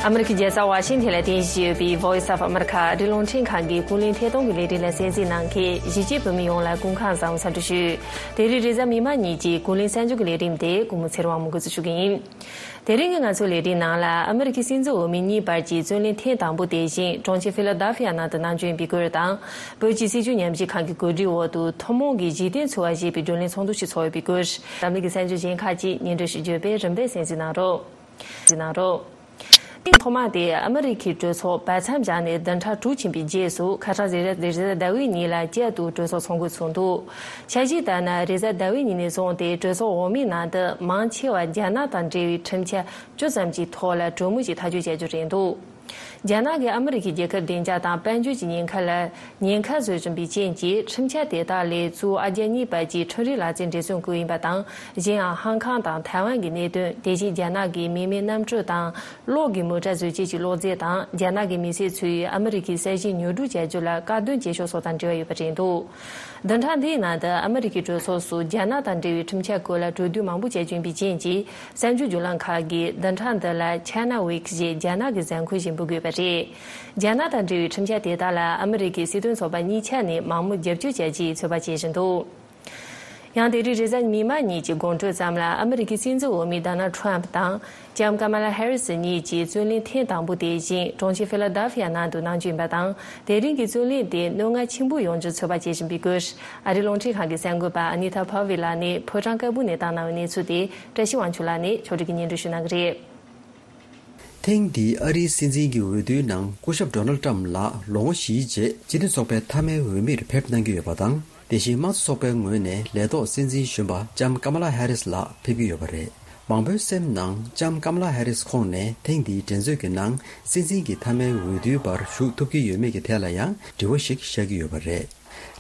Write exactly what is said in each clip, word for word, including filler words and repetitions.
ཨ་མི་རི་ཀའི་རྒྱལ་ས་ཝ་ཤིང་ཐན་ལ་རྟེན་གཞི་ཡོད་པའི་Voice of America ཨ་རིའི་རླུང་འཕྲིན་ཁང་གི་ཀུན་གླེང་ཐད་གཏོང་གི་ལས་རིམ་ལ་གསན་གཟིགས་གནང་མཁན་གཞིས་བྱེས་བོད་མི་ཡོངས་ལ་སྐུ་ཁམས་བཟང་པོ་འཚམས་འདྲི་ཞུ། དེ་རིང་རེས་གཟའ་མིག་དམར་ཉིན་གྱི་ཀུན་གླེང་གསར་འགྱུར་གྱི་ལས་རིམ་དེ་སྐུ་ངོ་ཚེ་རིང་དབང་མོས་འགོ་འཛུགས་ཞུ་གི་ཡིན། དེ་རིང་གི་ང་ཚོའི་ལས་རིམ་ནང་ལ་ཨ་མི་རི་ཀའི་སྲིད་འཛིན་འོས་མི་གཉིས་བར་གྱི་རྩོད་གླེང་ཐེངས་དང་པོ་དེ་བཞིན་གྲོང་ཁྱེར་ཕི་ལ་ཌེལ་ཕི་ཡ་ནང་དུ་གནང་རྒྱུ་ཡིན་པའི་སྐོར་དང་། བོད་ཀྱི་སྲིད་བྱུས་ཉམས་ཞིབ་ཁང་གི་གོ་སྒྲིག་འོག་ཏུ་ཐུན་མོང་གི་གཞི་རྟེན་འཚོལ་བ་ཞེས་པའི་བགྲོ་གླེང་ཚོགས་འདུ་ཞིག་ཚོགས་ཡོད་པའི་སྐོར། འཛམ་གླིང་གི་གསར་འགྱུར་གཞན་ཁག་ཅིག་སྙན་སྒྲོན་ཞུ་རྒྱུ་བས་རིམ་པས་གསན་གཟིགས་གནང་རོགས། གནང་རོགས། ཐེངས་ཐོག་མ་དེ་ཨ་མི་རི་ཀའི་གྲོས་ཚོགས་བར་མཚམས་བཞག་ནས་བདུན་ཕྲག་དྲུག་ཕྱིན་པའི་རྗེས་སུ་ཁ་སང་རེས་གཟའ་རེས་གཟའ་ཟླ་བའི་ཉིན་ལ་བསྐྱར་དུ་གྲོས་ཚོགས་ཚོགས་འགོ་ཚུགས་འདུག་འཆར་གཞིའི་ལྟར་ན་རེས་གཟའ་ཟླ་བའི་ཉིན་ནས་བཟུང་སྟེ་གྲོས་ཚོགས་འོག་མའི་ནང་དུ་མང་ཆེ་བ་རྒྱ་ནག་དང་འབྲེལ་བའི་ཁྲིམས་འཆར་བཅུ་ཙམ་གྱི་ཐོག་ལ་གྲོས་མོལ་ཞིག་ཐག་གཅོད་བྱ་རྒྱུ་རེད་འདུག་རྒྱ་ནག་གིས་ཨ་མི་རི་ཀའི་རྒྱལ་ཁབ་བདེ་འཇགས་དང་དཔལ་འབྱོར་གྱི་ཉེན་ཁ་ལ་ཉེན་ཁ་བཟོ་བཞིན་པའི་རྐྱེན་གྱིས་ཁྲིམས་འཆར་དེ་དག་ལས་གཙོ་བོ་ཨ་རྒྱ་གཉིས་བར་གྱི་ཁྲིམས་རིག་ལག་རྩལ་འབྲེལ་མཐུད་བཀོད་ཡིན་པ་དང་། གཞན་ཡང་ཧང་ཀང་དང་ཐའེ་ཝན་གྱི་གནད་དོན། དེ་བཞིན་རྒྱ་ནག་གི་མི་མེད་གནམ་གྲུ་དང་གློག་གི་མོ་ཊ་བཟོ་བྱེད་ཀྱི་གློག་རྫས་དང་། རྒྱ་ནག་གི་མི་སེར་ཚོས་ཨ་མི་རི་ཀའི་ས་ཞིང་ཉོ་སྒྲུབ་བྱ་རྒྱུ་ལ་དཀའ་སྡུག་བྱེད་ཕྱོགས་སོགས་དང་འབྲེལ་བ་ཡོད་པ་རེད་འདུག་བདུན་ཕྲག་འདིའི་ནང་དུ་ཨ་མི་རི་ཀའི་གྲོས་ཚོགས་སུ་རྒྱ་ནག་དང་འབྲེལ་བའི་ཁྲིམས་འཆར་སྐོར་ལ་གྲོས་བསྡུར་མང་པོ་བྱ་རྒྱུ་ཡིན་པའི་རྐྱེན་གྱིས། གསར་འགྱུར་བརྒྱུད་ལམ་ཁག་གིས་བདུན་ཕྲག་འདི་ལ་China Week ཞེས་རྒྱ་ནག་གི་གཟའ་འཁོར་ཞིག་འབུལ་དགོས་པ་རེད། རྒྱ་ནག་དང་འབྲེལ་བའི་ཁྲིམས་འཆར་དེ་དག་ལ་ཨ་མི་རི་ཀའི་སྲིད་དོན་ཚོགས་པ་གཉིས་ཆ་ནས་མང་མོས་རྒྱབ་སྐྱོར་བྱ་རྒྱུའི་ཚོད་དཔག་བྱེད་བཞིན་འདུག་ཡང་དེ་རིང་རེས་གཟའ་མིག་དམར་ཉིན་གྱི་དགོང་དྲོ་ཙམ་ལ་ཨ་མི་རི་ཀའི་སྲིད་འཛིན་འོས་མི་Donald Trump དང་ལྕམ་Kamala Harris གཉིས་ཀྱིས་རྩོད་གླེང་ཐེངས་དང་པོ་དེ་བཞིན་གྲོང་ཁྱེར་ཕི་ལ་ཌེལ་ཕི་ཡ་ནང་དུ་གནང་རྒྱུ་ཡིན་པ་དང་། དེ་རིང་གི་རྩོད་གླེང་དེ་རྣོ་ངར་ཆེན་པོ་ཡོང་རྒྱུའི་ཚོད་དཔག་བྱེད་བཞིན་པའི་སྐོར། ཨ་རིའི་རླུང་འཕྲིན་ཁང་གི་གསར་འགོད་པ་Anita Powell ལགས་ནས་ཕོ་བྲང་དཀར་པོ་ནས་བཏང་གནང་བའི་གནས་ཚུལ་དེ་བཀྲ་ཤིས་དབང་ཕྱུག་ལགས་ནས་ཕྱོགས་སྒྲིག་གིས་སྙན་སྒྲོན་ཞུ་གནང་གི་རེད། ཐེངས་འདིའི་ཨ་རིའི་སྲིད་འཛིན་གྱི་འོས་བསྡུའི་ནང་སྐུ་ཞབས་Donald Trump ལགས་ལོ་ངོ་བཞིའི་རྗེས་སྤྱི་མཐུན་ཚོགས་པའི་མཐའ་མའི་འོས་མིར་ཕེབས་གནང་གི་ཡོད་པ་དང་། དེ་བཞིན་དམངས་གཙོ་ཚོགས་པའི་ངོས་ནས་ལས་ཐོག་སྲིད་འཛིན་གཞོན་པ་ལྕམ་Kamala Harris ལགས་ཕེབས་ཀྱི་ཡོད་པ་རེད། མང་པོའི་སེམས་ནང་ལྕམ་Kamala Harris ཁོང་ནས་ཐེངས་འདིའི་འགྲན་རྩོད་ཀྱི་ནང་སྲིད་འཛིན་གྱི་མཐའ་མའི་འོས་བསྡུའི་བར་ཞུགས་ཐུབ་ཀྱི་ཡོད་མེད་ཀྱི་ཐད་ལ་ཡང་དྲི་བ་ཞིག་བཞག་གི་ཡོད་པ་རེད།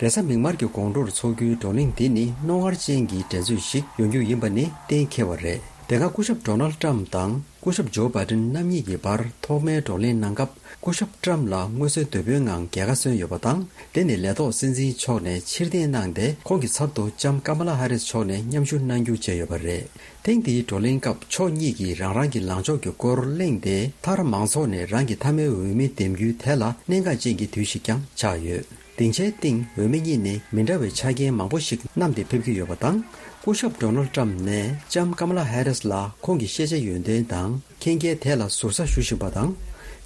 རེས་གཟའ་མིག་དམར་གྱི་དགོང་དྲོར་འཚོགས་རྒྱུའི་བགྲོ་གླེང་འདི་ནི་རྣོ་ངར་ཅན་གྱི་འགྲན་རྩོད་ཞིག་ཡོང་རྒྱུ་ཡིན་པ་ནི་གཏན་འཁེལ་བ་རེད། དེ་སྔ་སྐུ་ཞབས་Donald Trump དང་སྐུ་ཞབས་Joe Biden རྣམ་གཉིས་ཀྱི་བར་ཐོག་མའི་བགྲོ་གླེང་གནང་སྐབས། སྐུ་ཞབས་Trump ལགས་མངོན་གསལ་དོད་པོའི་ངང་རྒྱལ་ཁ་སོན་ཡོད་པ་དང་། དེ་ནི་ལས་ཐོག་སྲིད་འཛིན་མཆོག་ནས་ཕྱིར་འཐེན་གནང་སྟེ། ཁོང་གི་ཚབ་ཏུ་ལྕམ་Kamala Harris མཆོག་ནས་མཉམ་ཞུགས་གནང་རྒྱུ་བྱས་ཡོད་པ་རེད། ཐེངས་འདིའི་བགྲོ་གླེང་སྐབས་ཕྱོགས་གཉིས་ཀྱིས་རང་རང་གི་ལངས་ཕྱོགས་ཀྱི་སྐོར་གླེང་སྟེ། མཐར་མང་ཚོགས་ནས་རང་གི་མཐའ་མའི་འོས་མི་འདེམས་རྒྱུའི་ཐད་ལ་གནད་འགག་ཅན་གྱི་དུས་ཤིག་ཀྱང་ཆགས་ཡོད། སྡིངས་ཆའི་སྟེང་འོས་མི་གཉིས་ནས་མི་འདྲ་བའི་ཆ་རྐྱེན་མང་པོ་ཞིག་བསྣམས་ཏེ་ཕེབས་ཀྱི་ཡོད་པ་དང་། སྐུ་ཞབས་Donald Trump ནས་ལྕམ་Kamala Harris ལ་ཁོང་གི་ཤེས་བྱ་ཡོན་ཏན་དང་མཁྱེན་རྒྱའི་ཐད་ལ་ཟུར་ཟ་ཞུ་བཞིན་པ་དང་།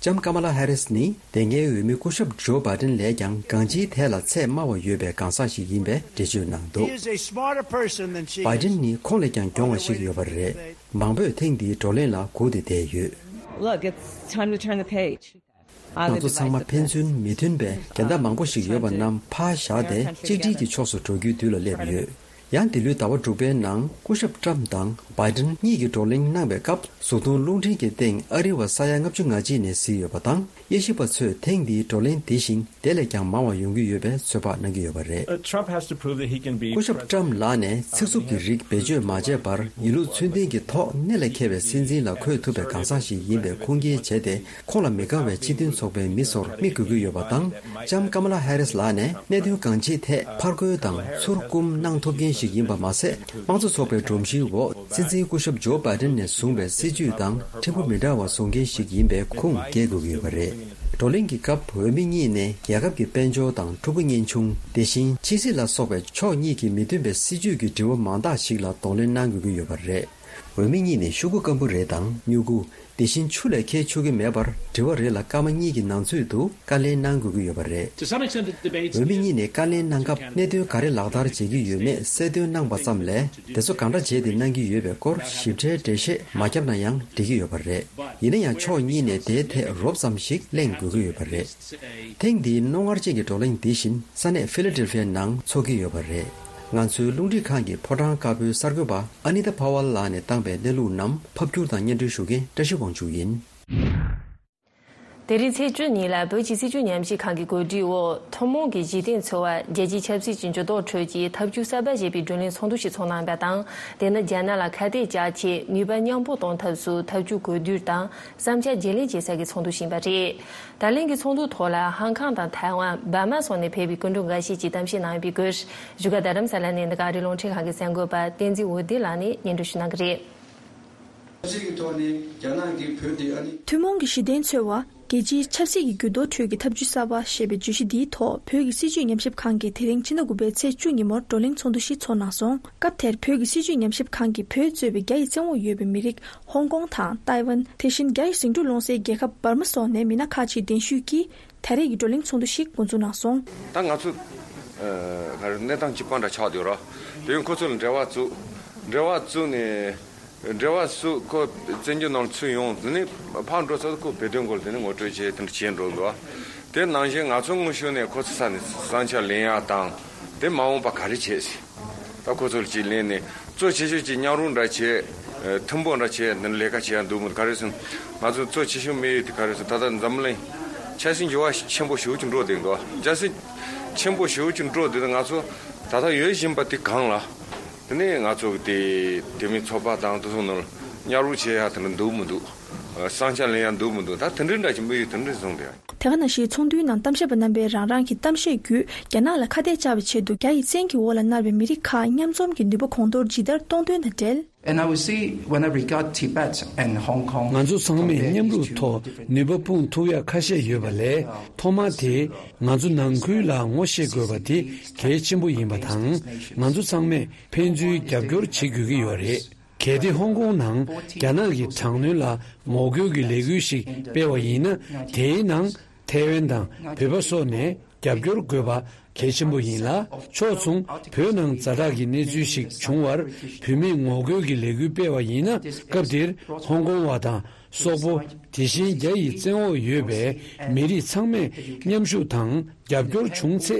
ལྕམ་Kamala Harris ནི་འདེམས་ངེས་འོས་མི་སྐུ་ཞབས་Joe Biden ལས་ཀྱང་གང་ཅིའི་ཐད་ལ་ཚད་དམའ་བ་ཡོད་པའི་གང་ཟག་ཞིག་ཡིན་པའི་འགྲེལ་བརྗོད་གནང་འདུག He is a smarter person than she is. Biden ནི་ཁོང་ལས་ཀྱང་གྱོང་བ་ཞིག་ཡོད་པ་རེད། མང་པོས་ཐེངས་འདིའི་བགྲོ་གླེང་ལ་སྒུག་སྟེ་བསྡད་ཡོད། Look, it's time to turn the page. ང་ཚོ་ཚང་མ་ཕན་ཚུན་མི་མཐུན་པའི་འགལ་ཟླ་མང་པོ་ཞིག་ཡོད་པ་རྣམས་ཕར་བཞག་སྟེ་གཅིག་སྒྲིལ་གྱི་ཕྱོགས་སུ་འགྲོ་རྒྱུའི་དུས་ལ་སླེབས་ཡོད། ཡང་འདི་ལོའི་ཟླ་བ་དྲུག་པའི་ནང་སྐུ་ཞབས་Trump དང་Biden གཉིས་ཀྱིས་བགྲོ་གླེང་གནང་བའི་སྐབས། གཟུགས་མཐོང་རླུང་འཕྲིན་གྱི་སྟེང་ཨ་རི་བ་ས་ཡ་ལྔ་བཅུ་ང་གཅིག་ནས་གཟིགས་ཡོད་པ་དང་། དབྱེ་ཞིབ་པ་ཚོས་ཐེངས་འདིའི་བགྲོ་གླེང་འདི་བཞིན་དེ་ལས་ཀྱང་མང་བ་ཡོང་གི་ཡོད་པའི་ཚོད་དཔག་གནང་གི་ཡོད་པ་རེད། Uh, Trump has to prove that he can be སྐུ་ཞབས་President. Trump ལགས་ནས་ཚིག་རྩུབ་ཀྱི་རིགས་བེད་སྤྱོད་མ་བྱས་པར། ཡིན་ལུགས་ཚུལ་ལྡན་གྱི་ཐོག་གནད་ལ་འཁེལ་བའི་སྲིད་འཛིན་ལ་འཁོད་ཐུབ་པའི་གང་ཟག་ཞིག་ཡིན་པའི་ཁུངས་སྐྱེལ་བྱས་ཏེ། ཁོང་ལ་མི་དགའ་བའི་སྤྱི་མཐུན་ཚོགས་པའི་མི་ཚོར་མིག་དགོས་ཀྱི་ཡོད་པ་དང་། ལྕམ་Kamala Harris ལགས་ནས་གནད་དོན་གང་ཅིའི་ཐད་ཕར་རྒོལ་དང་ཚུར་བསྐུམ་གནང་ཐུབ་མཁན་ཞིག་ཡིན་པ་མ་ཟད། དམངས་གཙོ་ཚོགས་པའི་སྒྲོམ་གཞིའི་འོག་སྲིད་འཛིན་སྐུ་ཞབས་Joe Biden ནས་བཟུང་བའི་སྲིད་ཇུས་དང་ཕྲན་བུ་མི་འདྲ་བ་བཟུང་མཁན་ཞིག་ཡིན་པའི་ཁུངས་སྐྱེལ་དགོས་ཀྱི་ཡོད་པ་རེད། བགྲོ་གླེང་གི་སྐབས་འོས་མི་གཉིས་ནས་རྒྱལ་ཁབ་ཀྱི་དཔལ་འབྱོར་དང་ཕྲུ་གུ་གཉེན་ཆུང་། དེ་བཞིན་ཕྱི་སྲིད་ལ་སོགས་པའི་ཕྱོགས་གཉིས་ཀྱིས་མི་མཐུན་པའི་སྲིད་ཇུས་ཀྱི་དྲི་བ་མང་དག་ཞིག་ལ་གདོང་ལེན་གནང་དགོས་ཀྱི་ཡོད་པ་རེད། འོས་མི་གཉིས་ནས་ཤོག་གུ་སྐམ་པོ་རེ་དང་སྨྱུ་གུ། དེ་བཞིན་ཆུ་ལས་འཁྱེར་ཆོག་གི་མེད་པར། དྲི་བ་རེ་ལ་སྐར་མ་གཉིས་ཀྱི་ནང་ཚུད་དུ་བཀའ་ལན་གནང་དགོས་ཀྱི་ཡོད་པ་རེད། To some extent, the debates འོས་མི་གཉིས་ནས་བཀའ་ལན་གནང་སྐབས། གནད་དོན་ག་རེ་ལག་བསྟར་བྱེད་ཀྱི་ཡོད་མེད་གསལ་སྟོན་གནང་པ་ཙམ་ལས། དེ་ཚོ་གང་འདྲ་བྱས་ཏེ་གནང་གི་ཡོད་པའི་སྐོར་ཞིབ་ཕྲའི་འགྲེལ་བཤད་མ་བརྒྱབ་ན་ཡང་འགྲིག་གི་ཡོད་པ་རེད། ཡིན་ན་ཡང་ཕྱོགས་གཉིས་ནས་དེའི་ཐད་རོབ་ཙམ་ཞིག་གླེང་དགོས་ཀྱི་ཡོད་པ་རེད། ཐེངས་འདིའི་རྣོ་ངར་ཅན་གྱི་བགྲོ་གླེང་འདི་བཞིན་ས་གནས་ཕི་ལ་ཌེལ་ཕི་ཡ་ནང་འཚོགས་ཀྱི་ཡོད་པ་རེད། ང་ཚོའི་རླུང་འཕྲིན་ཁང་གི་ཕོ་བྲང་དཀར་པོའི་གསར་འགོད་པ་ཨ་ནི་ཏཱ་ཕ་ཝལ་ལགས་ནས་བཏང་པའི་གནས་ལུགས་རྣམས་ཕབ་སྒྱུར་དང་སྙན་སྒྲོན་ཞུ་མཁན་བཀྲ་ཤིས་དབང་ཕྱུག་ཡིན། དེ་རིང་ཚེས་བཅུ་ཉིན་ལ་བོད་ཀྱི་སྲིད་བྱུས་ཉམས་ཞིབ་ཁང་གི་གོ་སྒྲིག་འོག་ཐུན་མོང་གི་གཞི་རྟེན་འཚོལ་བ་རྒྱལ་སྤྱིའི་ཆབ་སྲིད་ཀྱི་འགྱུར་ལྡོག་ཁྲོད་ཀྱི་ཐབས་ཇུས་གསར་པ་ཞེས་པའི་བགྲོ་གླེང་ཚོགས་འདུ་ཞིག་ཚོགས་གནང་བ་དང་། དེ་ནི་རྒྱ་ནག་ལ་ཁ་གཏད་བཅག་ཆེད་ནུས་པ་མཉམ་སྤུངས་གཏོང་ཐབས་སུ་ཐབས་ཇུས་གོ་བསྡུར་དང་བསམ་འཆར་བརྗེ་ལེན་བྱེད་ས་ཀྱི་ཚོགས་འདུ་ཞིག་ཡིན་པ་རེད། ད་ལན་གྱི་ཚོགས་འདུ་ཐོག་ལ་ཧང་ཀང་དང་ཐའེ་ཝན། འབར་མ་སོགས་ནས་ཕེབས་པའི་སྐུ་མགྲོན་འགའ་ཤས་ཀྱིས་གཏམ་བཤད་གནང་ཡོད་པའི་སྐོར། བཞུགས་སྒར་རྡ་རམ་ས་ལ་ནས་འདི་ག་ཨ་རིའི་རླུང་འཕྲིན་ཁང་གི་གསར་འགོད་པ་བསྟན་འཛིན་འོད་ལྡན་ལགས་ནས་སྙན་སྒྲོན་ཞུ་གནང་གི་རེད། ཆབ་སྲིད་ཀྱི་ཐོག་ནས་རྒྱ་ནག་གིས་བོད་དེ་ཨ་ནི། ཐུན་མོང་གི་གཞི་རྟེན་འཚོལ་བ། རྒྱལ་སྤྱིའི་ཆབ་སྲིད་ཀྱི་འགྱུར་ལྡོག་ཁྲོད་ཀྱི་ཐབས་ཇུས་གསར་པ་ཞེས་པའི་བརྗོད་གཞི་འདིའི་ཐོག་བོད་ཀྱི་སྲིད་བྱུས་ཉམས་ཞིབ་ཁང་གིས་དེ་རིང་ཕྱི་ཟླ་དགུ་པའི་ཚེས་བཅུ་ཉིན་མོར་བགྲོ་གླེང་ཚོགས་འདུ་ཞིག་ཚོགས་གནང་སོང་། སྐབས་དེར་བོད་ཀྱི་སྲིད་བྱུས་ཉམས་ཞིབ་ཁང་གིས་བོད་གཙོས་པའི་རྒྱ་ཡི་བཙན་འོག་ཡོད་པའི་མི་རིགས་ཧོང་ཀོང་དང་ཏའེ་ཝན། དེ་བཞིན་རྒྱ་ཡི་ཟིང་འཁྲུག་སློང་སའི་རྒྱལ་ཁབ་འབར་མ་སོགས་ནས་མི་སྣ་ཁག་ཅིག་གདན་ཞུས་ཀྱིས་ད་རེས་ཀྱི་བགྲོ་གླེང་ཚོགས་འདུ་ཞིག་འགོ་འཛུགས་གནང་སོང་། ད་ང་ཚོ་ཨ་ག་རེ་གནས་སྟངས་གཅིག་པ་འདྲ་ཆགས་བསྡད་ཡོད་ར། དེ་ཡང་ཁོ་ཚོ་ལ་འབྲེལ་བ་བཙུགས། འབྲེལ་བ་བཙུགས་ནས། འབྲེལ་བ་སུ་ཁོ་བཙན་བྱོལ་ནང་ཚུད་ཡོང་དེ་ནས་ཕར་འགྲོ་ཚར་ཁོ་བོད་དོན་སྐོར་དེ་ནས་ངོ་སྤྲོད་བྱས་དེ་འདྲ་བྱས་འགྲོ་འདུག་དེ་ནང་བཞིན་ང་ཚོ་དངོས་ཤུགས་ནས་ཁོ་ཚོ་ས་ནས་བསམ་འཆར་ལེན་ཡག་དང་དེ་མ་འོངས་པ་ག་རེ་བྱེད་སྲིད། ད་ཁོ་ཚོ་ལ་ཅིག་ལེན་ནས་གཙོ་ཆེ་ཤོས་ཅིག་མཉམ་རུབ་འདྲ་བྱས། ཐུན་མོང་འདྲ་བྱས་འདི་ལས་ཀ་བྱེད་ཡག་འདུག་མི་འདུག་ག་རེ་ཟེར་ན་ང་ཚོ་གཙོ་ཆེ་ཤོས་དམིགས་ཡུལ་དེ་ག་རེ་ཟེར་ན་ད་ལྟ་འཛམ་གླིང་ཆབ་སྲིད་འགྱུར་བ་ཆེན་པོ་ཞེ་པོ་ཅིག་འགྲོ་བསྡད་འདུག་ཆབ་སྲིད་ཆེན་པོ་ཞེ་པོ་ཅིག་འགྲོ་བསྡད་དུས་ང་ཚོ་ད་ལྟ་ཡོད་བཞིན་པ་དེ་གང་ལ། དེ་ནས་ང་ཚོ་གི་དེ་དེ་མིན་ཚོགས་པ་དང་དེ་ཚོ་ནང་མཉམ་རུབ་བྱེད་ཡག་དེ་འདྲ་འདུག་མི་འདུག་བསམ་འཆར་ལེན་ཡག་འདུག་མི་འདུག་ད་དེ་འདྲའི་འདྲ་ཞིག་དམིགས་ཡུལ་དེ་འདྲ་བཟུང་སྟེ། དེ་ག་ནང་བཞིན་ཚོགས་འདུའི་ནང་གཏམ་བཤད་པ་རྣམ་པས་རང་རང་གི་གཏམ་བཤད་བརྒྱུད་རྒྱ་ནག་ལ་ཁ་གཏད་བཅག་པའི་ཆེད་དུ་རྒྱ་ཡི་བཙན་གྱི་འོག་ལ་མནར་བའི་མི་རིགས་ཁག་མཉམ་འཛོམས་ཀྱི་ནུས་པ་གོང་མཐོར་ཇི་ལྟར་གཏོང་དོན་དང་འབྲེལ། And I would see when I regard Tibet and Hong Kong ང་ཚོ་ཚང་མས་མཉམ་རུབ་ཐོག་ནུས་པ་སྤུངས་ཐུབ་ཡ་ཁ་ཤས་ཡོད་པ་ལས་ཐོག་མར་དེ་ང་ཚོ་ནང་ཁུལ་ལ་ངོ་ཤེས་དགོས་པ་དེ་གལ་ཆེན་པོ་ཡིན་པ་དང་ང་ཚོ་ཚང་མས་ཕན་ཚུན་རྒྱབ་སྐྱོར་བྱེད་དགོས་ཀྱི་ཡོད་རེད། གལ་ཏེ་ཧོང་ཀོང་ནང་རྒྱ་ནག་གི་དྲག་གནོན་ལ་ངོ་རྒོལ་གྱི་ལས་འགུལ་ཞིག་སྤེལ་བ་ཡིན་ན་དེའི་ནང་ཐའེ་ཝན་དང་བོད་པ་སོགས་ནས་རྒྱབ་སྐྱོར་དགོས་པ་གལ་ཆེན་པོ་ཡིན་ལ། ཕྱོགས་མཚུངས་བོད་ནང་ཛ་དྲག་གི་གནས་ཚུལ་ཞིག་བྱུང་བར་བོད་མིས་ངོ་རྒོལ་གྱི་ལས་འགུལ་སྤེལ་བ་ཡིན་ན་སྐབས་དེར་ཧོང་ཀོང་བ་དང་སོག་པོ་དེ་བཞིན་རྒྱ་ཡི་བཙན་འོག་ཡོད་པའི་མི་རིགས་ཚང་མས་མཉམ་ཞུགས་དང་རྒྱབ་སྐྱོར་བྱུང་ཚེ་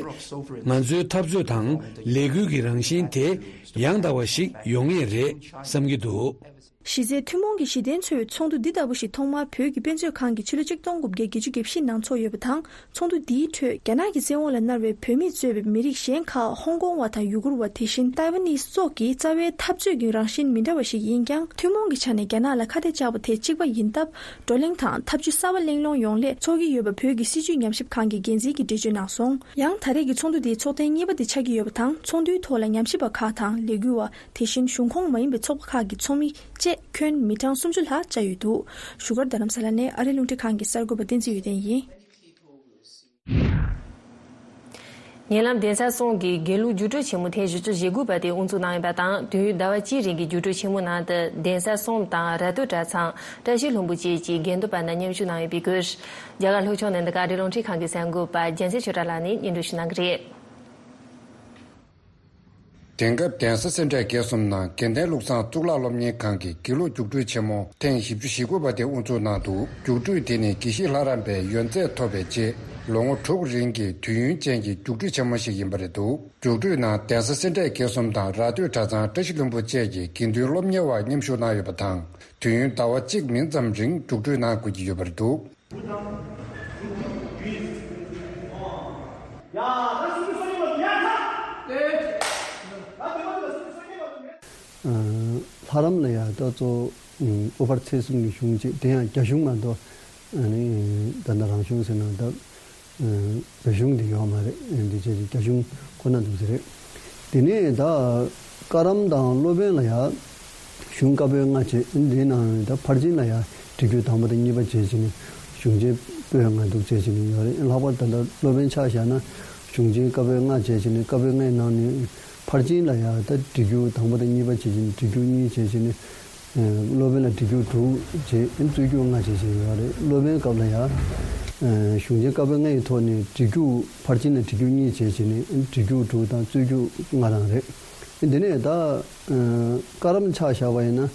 ང་ཚོའི་འཐབ་རྩོད་དང་ལས་འགུལ་གྱི་རང་བཞིན་དེ་ཡང་དག་པ་ཞིག་ཡོང་ངེས་རེད་བསམ་གྱི་འདུག་གཞི་རྩའི་ཐུན་མོང་གི་གཞི་རྟེན་འཚོལ་བའི་ཚོགས་འདུ་འདི་ལྟ་བུ་ཞིག་ཐོག་མར་བོད་ཀྱི་དཔེ་མཛོད་ཁང་གིས་ཕྱི་ལོ་ཆིག་སྟོང་དགུ་བརྒྱ་བརྒྱད་ཅུ་གྱ་བཞི་ནང་འཚོགས་ཡོད་པ་དང་། ཚོགས་འདུ་འདིའི་ཁྲོད་རྒྱ་ནག་གི་བཙན་འོག་ལ་མནར་བའི་བོད་མི་གཙོས་པའི་མི་རིགས་གཞན་ཁག་ཧོང་ཀོང་བ་དང་ཡུ་གུར་བ། དེ་བཞིན་ཏའེ་ཝན་ནི་སོགས་ཀྱི་རྩ་བའི་འཐབ་རྩོད་ཀྱི་རང་བཞིན་མི་འདྲ་བ་ཞིག་ཡིན་ཀྱང་། ཐུན་མོང་གི་ཆ་ནས་རྒྱ་ནག་ལ་ཁ་གཏད་བཅག་པ་དེ་གཅིག་པ་ཡིན་སྟབས། བགྲོ་གླེང་དང་འཐབ་ཇུས་གསར་པ་གླེང་སློང་ཡོང་སླད་འཚོགས་ཀྱི་ཡོད་པ་བོད་ཀྱི་སྲིད་བྱུས་ཉམས་ཞིབ་ཁང་གི་འགན་འཛིན་གྱིས་འགྲེལ་བརྗོད་གནང་སོང་། ཡང་ད་རེས་ཀྱི་ཚོགས་འདུ་དེ་ཚོགས་ཐེངས་གཉིས་པ་དེ་ཆགས་ཀྱི་ཡོད་པ་དང་། ཚོགས་འདུའི་ཐོག་ལ་ཉམས་ཞིབ་པ་ཁག་དང་ལས་འགུལ་བ། དེ་བཞིན་གཞུང་ཁོངས་མ་ཡིན་པའི་ཚོགས་པ་ཁག་གི་ཚོགས་མི་བཅས་ཁྱོན་མི་གྲངས་སུམ་ཅུ་ལྷག་བཅར་ཡོད་འདུག་བཞུགས་སྒར་རྡ་རམ་ས་ལ་ནས་ཨ་རིའི་རླུང་འཕྲིན་ཁང་གི་གསར་འགོད་པ་བསྟན་འཛིན་ཡོན་ཏན་ཡིན། ཉེ་ལམ་གདན་ས་གསུམ་གྱི་དགེ་ལུགས་རྒྱུགས་སྤྲོད་ཆེན་མོ་ཐེངས་བཞི་བཅུ་ཞེ་དགུ་པ་དེ་དབུ་འཛུགས་གནང་ཡོད་པ་དང་། དུས་ཡུན་ཟླ་བ་གཅིག་རིང་གི་རྒྱུགས་སྤྲོད་ཆེན་མོ་ནང་དུ་གདན་ས་གསུམ་དང་ར་སྟོད་གྲྭ་ཚང་། བཀྲ་ཤིས་ལྷུན་པོ་བཅས་ཀྱི་དགེ་འདུན་པ་རྣམས་མཉམ་ཞུགས་གནང་ཡོད་པའི་སྐོར། རྒྱ་གར་ལྷོ་ཕྱོགས་ནས་འདི་ག་ཨ་རིའི་རླུང་འཕྲིན་ཁང་གི་གསར་འགོད་པ་རྒྱལ་མཚན་ཆོས་གྲགས་ལགས་ནས་སྙན་སྒྲོན་ཞུ་གནང་གི་རེད། དེང་སྐབས་གདན་ས་སེ་འབྲས་དགེ་གསུམ་ནང་དགེ་ལྡན་ལུགས་བཟང་གཙུག་ལག་སློབ་གཉེར་ཁང་གི་དགེ་ལུགས་རྒྱུགས་སྤྲོད་ཆེན་མོ་ཐེངས་བཞི་བཅུ་ཞེ་དགུ་པ་དེ་དབུ་འཛུགས་གནང་འདུག་རྒྱུགས་སྤྲོད་དེ་ནི་དགེ་བཤེས་ལྷ་རམས་པའི་ཡོན་ཚད་ཐོབ་པའི་རྗེས་ལོ་ངོ་དྲུག་རིང་གི་དུས་ཡུན་ཅན་གྱི་རྒྱུགས་སྤྲོད་ཆེན་མོ་ཞིག་ཡིན་པ་རེད་འདུག་རྒྱུགས་སྤྲོད་ནང་གདན་ས་སེ་འབྲས་དགེ་གསུམ་དང་ར་སྟོད་གྲྭ་ཚང་བཀྲ་ཤིས་ལྷུན་པོ་བཅས་ཀྱི་དགེ་འདུན་སློབ་གཉེར་བ་མཉམ་ཞུགས་གནང་ཡོད་པ་དང་། དུས་ཡུན་ཟླ་བ་གཅིག་མིན་ཙམ་རིང་རྒྱུགས་སྤྲོད་གནང་དགོས་ཀྱི་ཡོད་པ་རེད་འདུག་ལྷ་རམས་ལ་ཡང་ད་གཙོ་བོ་དབུ་ཕར་ཚེས་གསུམ་གྱི་གཞུང་བཅས། དེ་ཡང་རྒྱ་གཞུང་མ་གཏོགས་ཨ་ནི་ད་ལྟ་རང་གཞུང་ཟེར་ན་ད་བོད་གཞུང་འདི་ཡོད་མ་རེད། འདི་བཅས་ཀྱི་རྒྱ་གཞུང་ཁོ་ན་འདུག་ཟེར་རེད། དེ་ནས་ད་བཀའ་རམས་དང་སློབ་དཔོན་ལ་ཡང་གཞུང་བཀའ་པོད་ལྔ་བཅས། འདི་ནང་ད་ཕར་ཕྱིན་ལ་ཡང་འབྲི་རྒྱུགས་དང་པོ་དང་གཉིས་པ་བཅས་བྱས་ནས་གཞུང་ཆེན་པོད་ལྔ་འདུག་བཅས་བྱས་ནས་ཡོད་རེད། ལྷག་པར་ད་ལྟ་སློབ་དཔོན་ཆ་བཞག་ན་གཞུང་ཆེན་བཀའ་པོད་ལྔ་བཅས་བྱས་ནས་བཀའ་པོད་ལྔའི་ནང་ནས་ཕར་ཕྱིན་ལ་ཡང་ད་འབྲི་རྒྱུགས་དང་པོ་དང་གཉིས་པ་བཅས་བྱས་ནས་འབྲི་རྒྱུགས་གཉིས་བཅས་བྱས་ནས། སློབ་དཔོན་ལ་འབྲི་རྒྱུགས་དྲུག་བྱས། རྩོད་རྒྱུགས་ལྔ་བྱས་བྱས་ཡོད་རེད། སློབ་དཔོན་སྐབས་ལ་ཡང་གཞུང་ཆེན་བཀའ་པོད་ལྔ་ཡི་ཐོག་ནས་འབྲི་རྒྱུགས་ཕར་ཕྱིན་ལ་འབྲི་རྒྱུགས་གཉིས་བྱས་བྱས་ནས་འབྲི་རྒྱུགས་དྲུག་དང་རྩོད་རྒྱུགས་ལྔ་རང་རེད། འདི་ནས་ད་བཀའ་རམས་ཆ་བཞག་པ་ཡིན་ན་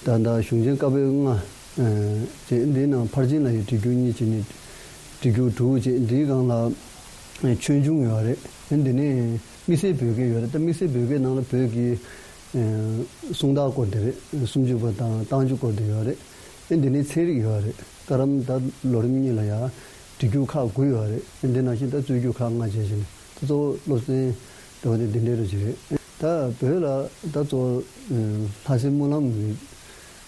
ད་ད་གཞུང་ཆེན་བཀའ་པོད་ལྔ་བྱས། འདི་ནང་ཕར་ཕྱིན་ལ་ཡང་འབྲི་རྒྱུགས་གཉིས་བྱས་ནས་འབྲི་རྒྱུགས་དྲུག་བྱས། འདིའི་སྒང་ལ་ཆོས་འབྱུང་ཡོད་རེད། འདི་ནས་དམིགས་བསལ་བོད་སྐད་ཡོད་རེད། ད་དམིགས་བསལ་བོད་སྐད་ནང་ལ་བོད་ཀྱི་ཨ་གསུང་རྟགས་སྐོར་དེ་རེད། སུམ་ཅུ་པ་དང་རྟགས་འཇུག་སྐོར་དེ་ཡོད་རེད། ཨེ་འདི་ནས་ཚན་རིག་ཡོད་རེད། བཀའ་རམས་ད་ལོ་རིམ་གཉིས་ལ་ཡང་འབྲི་རྒྱུགས་ཁག་དགུ་ཡོད་རེད། ཨེ་འདི་ནང་བཞིན་ད་རྩོད་རྒྱུགས་ཁག་ལྔ་བྱས་བྱས་ནས་ད་གཙོ་བོ་སློབ་ཚན་འདྲ་བོ་དེ་འདི་འདྲའི་རུ་ཅིག་རེད། ད་བོད་ལ་ད་གཙོ་བོ་ལྷ་སའི་སྨོན་ལམ་གྱི་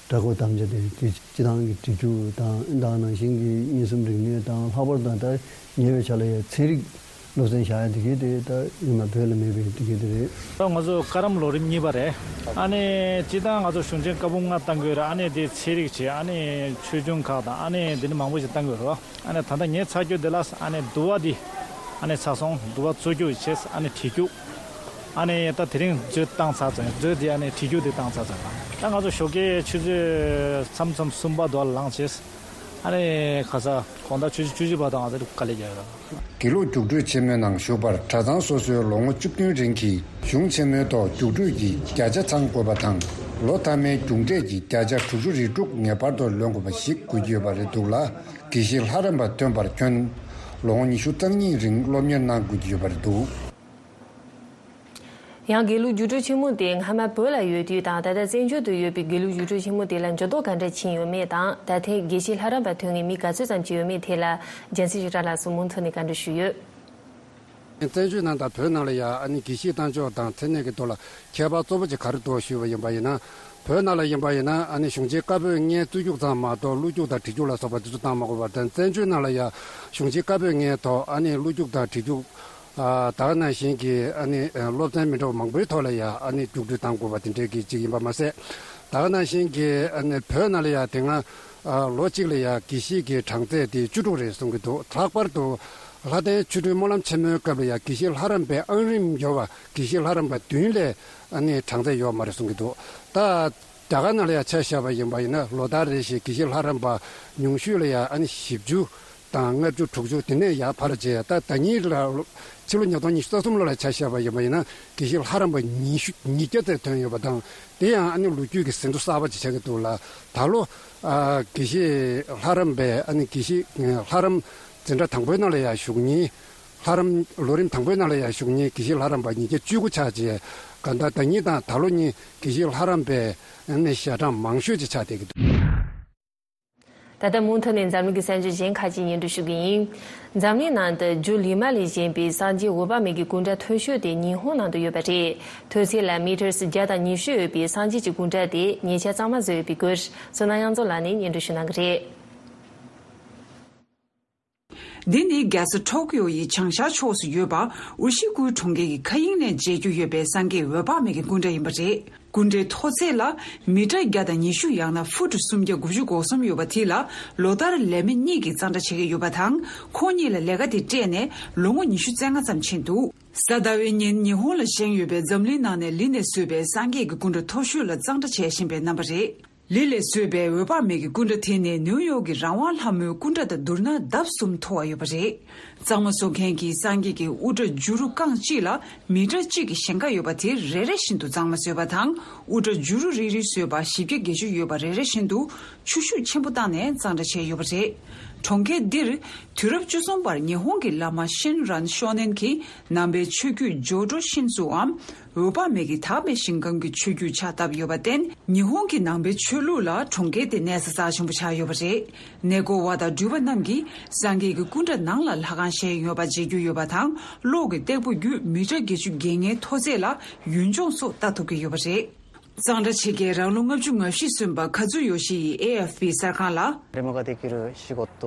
གྲྭ་སྐོར་དམ་བཅའ་དེ་དེ་སྤྱི་བཏང་གི་འབྲི་རྒྱུགས་དང་ཨེ་ད་ནང་བཞིན་གྱི་མངོན་སུམ་རིག་གནས་དང་། ལྷག་པར་དུ་ད་ཉེ་བའི་ཆར་ལ་ཡང་ཚན་རིག་སློབ་ཚན་བཞག་ཡ་དེ་གའི་དེ་ད་ཡིན་ན་བོད་ལ་མེད་པའི་དེ་གའི་དེ་རེད། ད་ང་ཚོ་བཀའ་རམས་ལོ་རིམ་གཉིས་པ་རེད། ཨ་ནི་སྤྱིར་བཏང་ང་ཚོ་གཞུང་ཆེན་བཀའ་འབུམ་ལྔ་བཏང་གི་ཡོད་རེད། ཨ་ནི་དེ་ཚན་རིག་བྱས། ཨ་ནི་ཆོས་འབྱུང་ཁག་དང་ཨ་ནི་དེ་ནི་མང་པོ་ཞིག་བཏང་གི་ཡོད་རེད། ཨ་ནི་ད་ལྟ་ངས་ཚར་རྒྱུ་དེ་ལ་ཨ་ནི་འདུལ་བ་འདི་ཨ་ནི་ཚར་སོང་། འདུལ་བ་རྩོད་རྒྱུགས་བྱས། ཨ་ནི་བྲིས་རྒྱུགས། ཨ་ནི་ད་དེ་རིང་མཛོད་བཏང་ཚར་ཚར། མཛོད་དེ་ཨ་ནི་བྲིས་རྒྱུགས་དེ་བཏང་ཚར་ཚར། ད་ང་ཚོ་ཞོགས་ཀའི་ཆུ་ཚོད་མཚམས་མཚམས་གསུམ་པ་དུ་ལ་ལངས་བྱས། ཨ་ནི་ཁ་ས་དགོང་དག་ཆུ་ཚོད་བཅུ་གཅིག་བར་དུ་ང་ཚོ་དཀའ་ལས་རྒྱག་ཡོད། དགེ་ལུགས་རྒྱུགས་སྤྲོད་ཆེན་མོའི་ནང་ཞུགས་པར་གྲྭ་ཚང་སོ་སོའི་ལོ་ངོ་བཅུ་བདུན་རིང་གི་གཞུང་ཆེན་མོའི་ཐོག་རྒྱུགས་སྤྲོད་ཀྱི་བརྒྱ་ཆ་ཚང་དགོས་པ་དང་། ལོ་མཐའ་མའི་རྒྱུགས་འབྲས་ཀྱི་བརྒྱ་ཆ་དྲུག་ཅུ་རེ་དྲུག་ངེས་པར་དུ་ལོན་དགོས་པ་ཞིག་དགོས་ཀྱི་ཡོད་པ་རེད་འདུག་ལ། དགེ་བཤེས་ལྷ་རམས་པ་ཐོན་པར་ཁྱོན་ལོ་ངོ་ཉི་ཤུ་རྩ་གཉིས་རིང་སློབ་གཉེར་གནང་དགོས་ཀྱི་ཡོད་པ་རེད་འདུག། ཡང་དགེ་ལུགས་རྒྱུགས་སྤྲོད་ཆེན་མོ་དེ་སྔ་མ་བོད་ལ་ཡོད་དུས་དང་ད་ལྟ་བཙན་བྱོལ་དུ་ཡོད་པའི་དགེ་ལུགས་རྒྱུགས་སྤྲོད་ཆེན་མོ་དེ་ལ་འགྱུར་ལྡོག་ག་འདྲ་ཕྱིན་ཡོད་མེད་དང་། ད་ཐེངས་དགེ་བཤེས་ལྷ་རམས་པ་ཐོན་མཁན་མི་ག་ཚོད་ཙམ་ཅིག་ཡོད་མེད་ཐད་ལ་རྒྱལ་མཚན་ཞིག་ར་ལགས་སུ་མུ་མཐུད་ནས་བཀའ་འདྲི་ཞུས་ཡོད། བཙན་བྱོལ་ནང་དང་བོད་ནང་ལ་ཡང་ཨ་ནི་དགེ་བཤེས་གཏམ་ཕྱོགས་དང་མཚན་གནས་ཀྱི་ཐོག་ལ་ཁྱད་པར་གཙོ་བོ་ཅིག་ག་རེ་འདུག་ཞུས་པ་ཡིན་པ་ཡིན་ན། བོད་ནང་ལ་ཡིན་པ་ཡིན་ན་ཨ་ནི་གཞུང་ཆེན་བཀའ་པོད་ལྔའི་རྩོད་རྒྱུགས་ཙམ་མ་གཏོགས་བློ་རྒྱུགས་དང་བྲིས་རྒྱུགས་ལ་སོགས་པ་དེ་ཚོ་བཏང་མ་དགོས་པ་དང་། བཙན་བྱོལ་ནང་ལ་ཡང་གཞུང་ཆེན་བཀའ་པོད་ལྔའི་ཐོག་ཨ་ནི་བློ་རྒྱུགས་དང་བྲིས་རྒྱུགས། ཨ་ད་ག་ནང་བཞིན་གྱི་ཨ་ནི་ཨ་སློབ་ཚན་མི་འདྲ་བ་མང་པོའི་ཐོག་ལ་ཡང་ཨ་ནི་རྒྱུགས་སྤྲོད་བཏང་དགོས་པ་དེ་འདྲའི་གི་ཅིག་ཡིན་པ་མ་ཟད། ད་ག་ནང་བཞིན་གྱི་ཨ་ནི་བོད་ནང་ལ་ཡང་དེ་སྔ་ཨ་ལོ་གཅིག་ལ་ཡང་དགེ་བཤེས་ཀྱི་གྲངས་ཚད་དེ་བཅུ་དྲུག་རེད་གསུང་གི་འདུག། ལྷག་པར་དུ་ལྷ་ལྡན་ཆོ་འཕྲུལ་སྨོན་ལམ་ཆེན་མོའི་སྐབས་ལ་ཡང་དགེ་བཤེས་ལྷ་རམས་པའི་ཨང་རིམ་ཡོད་པ་དགེ་བཤེས་ལྷ་རམས་པ་བདུན་ལས་ཨ་ནི་གྲངས་ཚད་ཡོད་མ་རེད་གསུང་གི་འདུག། ད་རྒྱ་གར་ནང་ལ་ཡང་ཆ་བཞག་པ་ཡིན་པ་ཡིན་ན་ལོ་ལྟར་རེ་བཞིན་དགེ་བཤེས་ལྷ་རམས་པ་ཉུང་ཤོས་ལ་ཡང་ཨ་ནི་བཞི་བཅུ་དང་ལྔ་བཅུ་དྲུག་ཅུ་དེ་ནས་ཡར་འཕར་བྱས། ད་ཟླ་ཉིན་ལ་ཕྱི་ལོ་ཉིས་སྟོང་ཉི་ཤུ་རྩ་གསུམ་ལོ་ལ་ཆ་བཞག་པ་ཡིན་པ་ཡིན་ན་དགེ་བཤེས་ལྷ་རམས་པ་ཉི་ཤུ་ཉིས་བརྒྱ་ཙམ་ཐོན་ཡོད་པ་དང་། དེ་ཡང་ཨ་ནི་ལོ་རྒྱུས་ཀྱི་ཟིན་ཐོ་གསར་པ་ཅིག་ཆགས་ཀྱི་འདུག་ལ། ད་ལོ་ཨ་དགེ་བཤེས་ལྷ་རམས་པའི་ཨ་ནི་དགེ་བཤེས་ལྷ་རམས་འཛིན་གྲྭ་དང་པོའི་ནང་ལ་ཡང་ཞུགས་མཁན། ལྷ་རམས་ལོ་རིམ་དང་པོའི་ནང་ལ་ཡང་ཞུགས་མཁན་དགེ་བཤེས་ལྷ་རམས་པ་ཉིས་བརྒྱ་བཅུ་དགུ་ཆགས་རྗེས། གང་ལྟར་ཟླ་ཉིན་དང་ད་ལོ་གཉིས་དགེ་བཤེས་ལྷ་རམས་པའི་ཨ་ནི་ཞལ་གྲངས་མང་ཤོས་ཅིག་ཆགས་བསྡད་ཀྱི་འདུག། ད་ལྟ་མུ་མཐུད་ནས་འཛམ་གླིང་གི་གསར་འགྱུར་གཞན་ཁག་ཅིག་སྙན་སྒྲོན་ཞུ་གི་ཡིན། འཛམ་གླིང་ནང་དུ་རྒྱུ་ལི་མ་ལས་བཞེངས་པའི་སངས་རྒྱས་འོད་དཔག་མེད་ཀྱི་སྐུ་འདྲ་མཐོ་ཤོས་དེ་ཉི་ཧོང་ནང་དུ་ཡོད་པ་རེད། མཐོ་ཚད་ལ་མི་ཊར་བརྒྱ་དང་ཉི་ཤུ་ཡོད་པའི་སངས་རྒྱས་ཀྱི་སྐུ་འདྲ་དེ་ཉེ་ཆར་གཙང་མ་བཟོས་ཡོད་པའི་སྐོར་བསོད་ནམས་དབྱངས་མཚོ་ལགས་ནས་སྙན་སྒྲོན་ཞུ་གནང་གི་རེད། འདི་ནི་རྒྱལ་ས་ཊོ་ཀིའོ་ཡི་བྱང་ཤར་ཕྱོགས་སུ་ཡོད་པ་ཨུ་ཤི་ཀུའི་གྲོང་ཁྱེར་གྱི་མཁའ་དབྱིངས་ནས་མཇལ་རྒྱུ་ཡོད་པའི་སངས་རྒྱས་འོད་དཔག་མེད་ཀྱི་སྐུ་འདྲ་ཡིན་པ་རེད། སྐུ་འདྲའི་མཐོ་ཚད་ལ་མི་ཊར་བརྒྱ་དང་ཉི་ཤུ་ཡང་ན་ཧྥུ་ཊི་སུམ་བརྒྱ་དགུ་བཅུ་གོ་གསུམ་ཡོད་པ་དེ་ལ་ལོ་ལྟར་ལས་མི་གཉིས་ཀྱིས་གཙང་སྦྲ་བྱེད་ཀྱི་ཡོད་པ་དང་། ཁོང་གཉིས་ལ་ལས་ཀ་དེ་སྤྲད་ནས་ལོ་ངོ་ཉི་ཤུ་རྩ་ལྔ་ཙམ་ཕྱིན་འདུག། གཟའ་ཟླ་བའི་ཉིན་ཉི་ཧོང་ལ་བཞེངས་ཡོད་པའི་འཛམ་གླིང་ནང་ནས་ལི་ནས་བཟོས་པའི་སངས་རྒྱས་ཀྱི་སྐུ་འདྲ་མཐོ་ཤོས་ལ་གཙང་སྦྲ་བྱེད་བཞིན་པའི་རྣམ་པ་རེད། ལི་ལས་བཟོས་པའི་འོད་དཔག་མེད་ཀྱི་སྐུ་འདྲ་དེ་ནི་ནིའུ་ཡོག་གི་རང་དབང་ལྷ་མོའི་སྐུ་འདྲ་དང་བསྡུར་ན་ལྡབ་གསུམ་མཐོ་བ་ཡོད་པ་རེད། གཙང་མ་བཟོ་མཁན་གྱིས་སངས་རྒྱས་ཀྱི་དབུ་སྐྲ་བྱུ་རུ་རྐང་གཅིག་ལ་མི་ཊར་གཅིག་གི་ཞེང་ཁ་ཡོད་པ་དེ་རེ་རེ་བཞིན་དུ་གཙང་མ་བཟོས་པ་དང་། དབུ་སྐྲ་བྱུ་རུ་རིལ་རིལ་བཟོས་པ་བཞི་བརྒྱ་བརྒྱད་ཅུ་ཡོད་པ་རེ་རེ་བཞིན་དུ་ཆུ་ཤུགས་ཆེན་པོ་བཏང་ནས་གཙང་སྦྲ་བྱས་ཡོད་པ་རེད། གྲོང་ཁྱེར་འདིར་དུས་རབས་བཅུ་གསུམ་པར་ཉི་ཧོང་གི་བླ་མ་ཤིན་རན་ཤོ་ནན་གྱིས་ནང་པའི་ཆོས་བརྒྱུད་ཇོ་ཌོ་ཤིན་ཙུའམ། འོད་དཔག་མེད་ཀྱི་དག་པའི་ཞིང་ཁམས་ཀྱི་ཆོས་བརྒྱུད་ཕྱག་བཏབ་ཡོད་པར་བརྟེན། ཉི་ཧོང་གི་ནང་པའི་ཆོས་ལུགས་ལ་གྲོང་ཁྱེར་དེ་གནས་ས་རྩ་ཆེན་པོ་ཆགས་ཡོད་པ་རེད། གནས་སྐོར་བ་དང་འགྲུལ་པ་རྣམས་ཀྱིས་སངས་རྒྱས་ཀྱི་སྐུ་འདྲ་ནང་ལ་ལྷ་ཁང་བཞེངས་ཡོད་པ་མཇལ་རྒྱུ་ཡོད་པ་དང་། གློག་གི་སྟེགས་བུ་བརྒྱུད་མི་ཊར་བརྒྱད་ཅུ་བརྒལ་ངའི་མཐོ་ཚད་ལ་ཡུལ་ལྗོངས་སོགས་ལྟ་ཐུབ་ཀྱི་ཡོད་པ་རེད། གཙང་སྦྲ་བྱེད་མཁན་རང་ལོ་ལྔ་བཅུ་ང་བཞི་སོན་པ་ཁ་ཛུ་ཡོ་ཤི་ཡིས་ཨེ་ཨེཕ་པི་གསར་ཁང་ལ།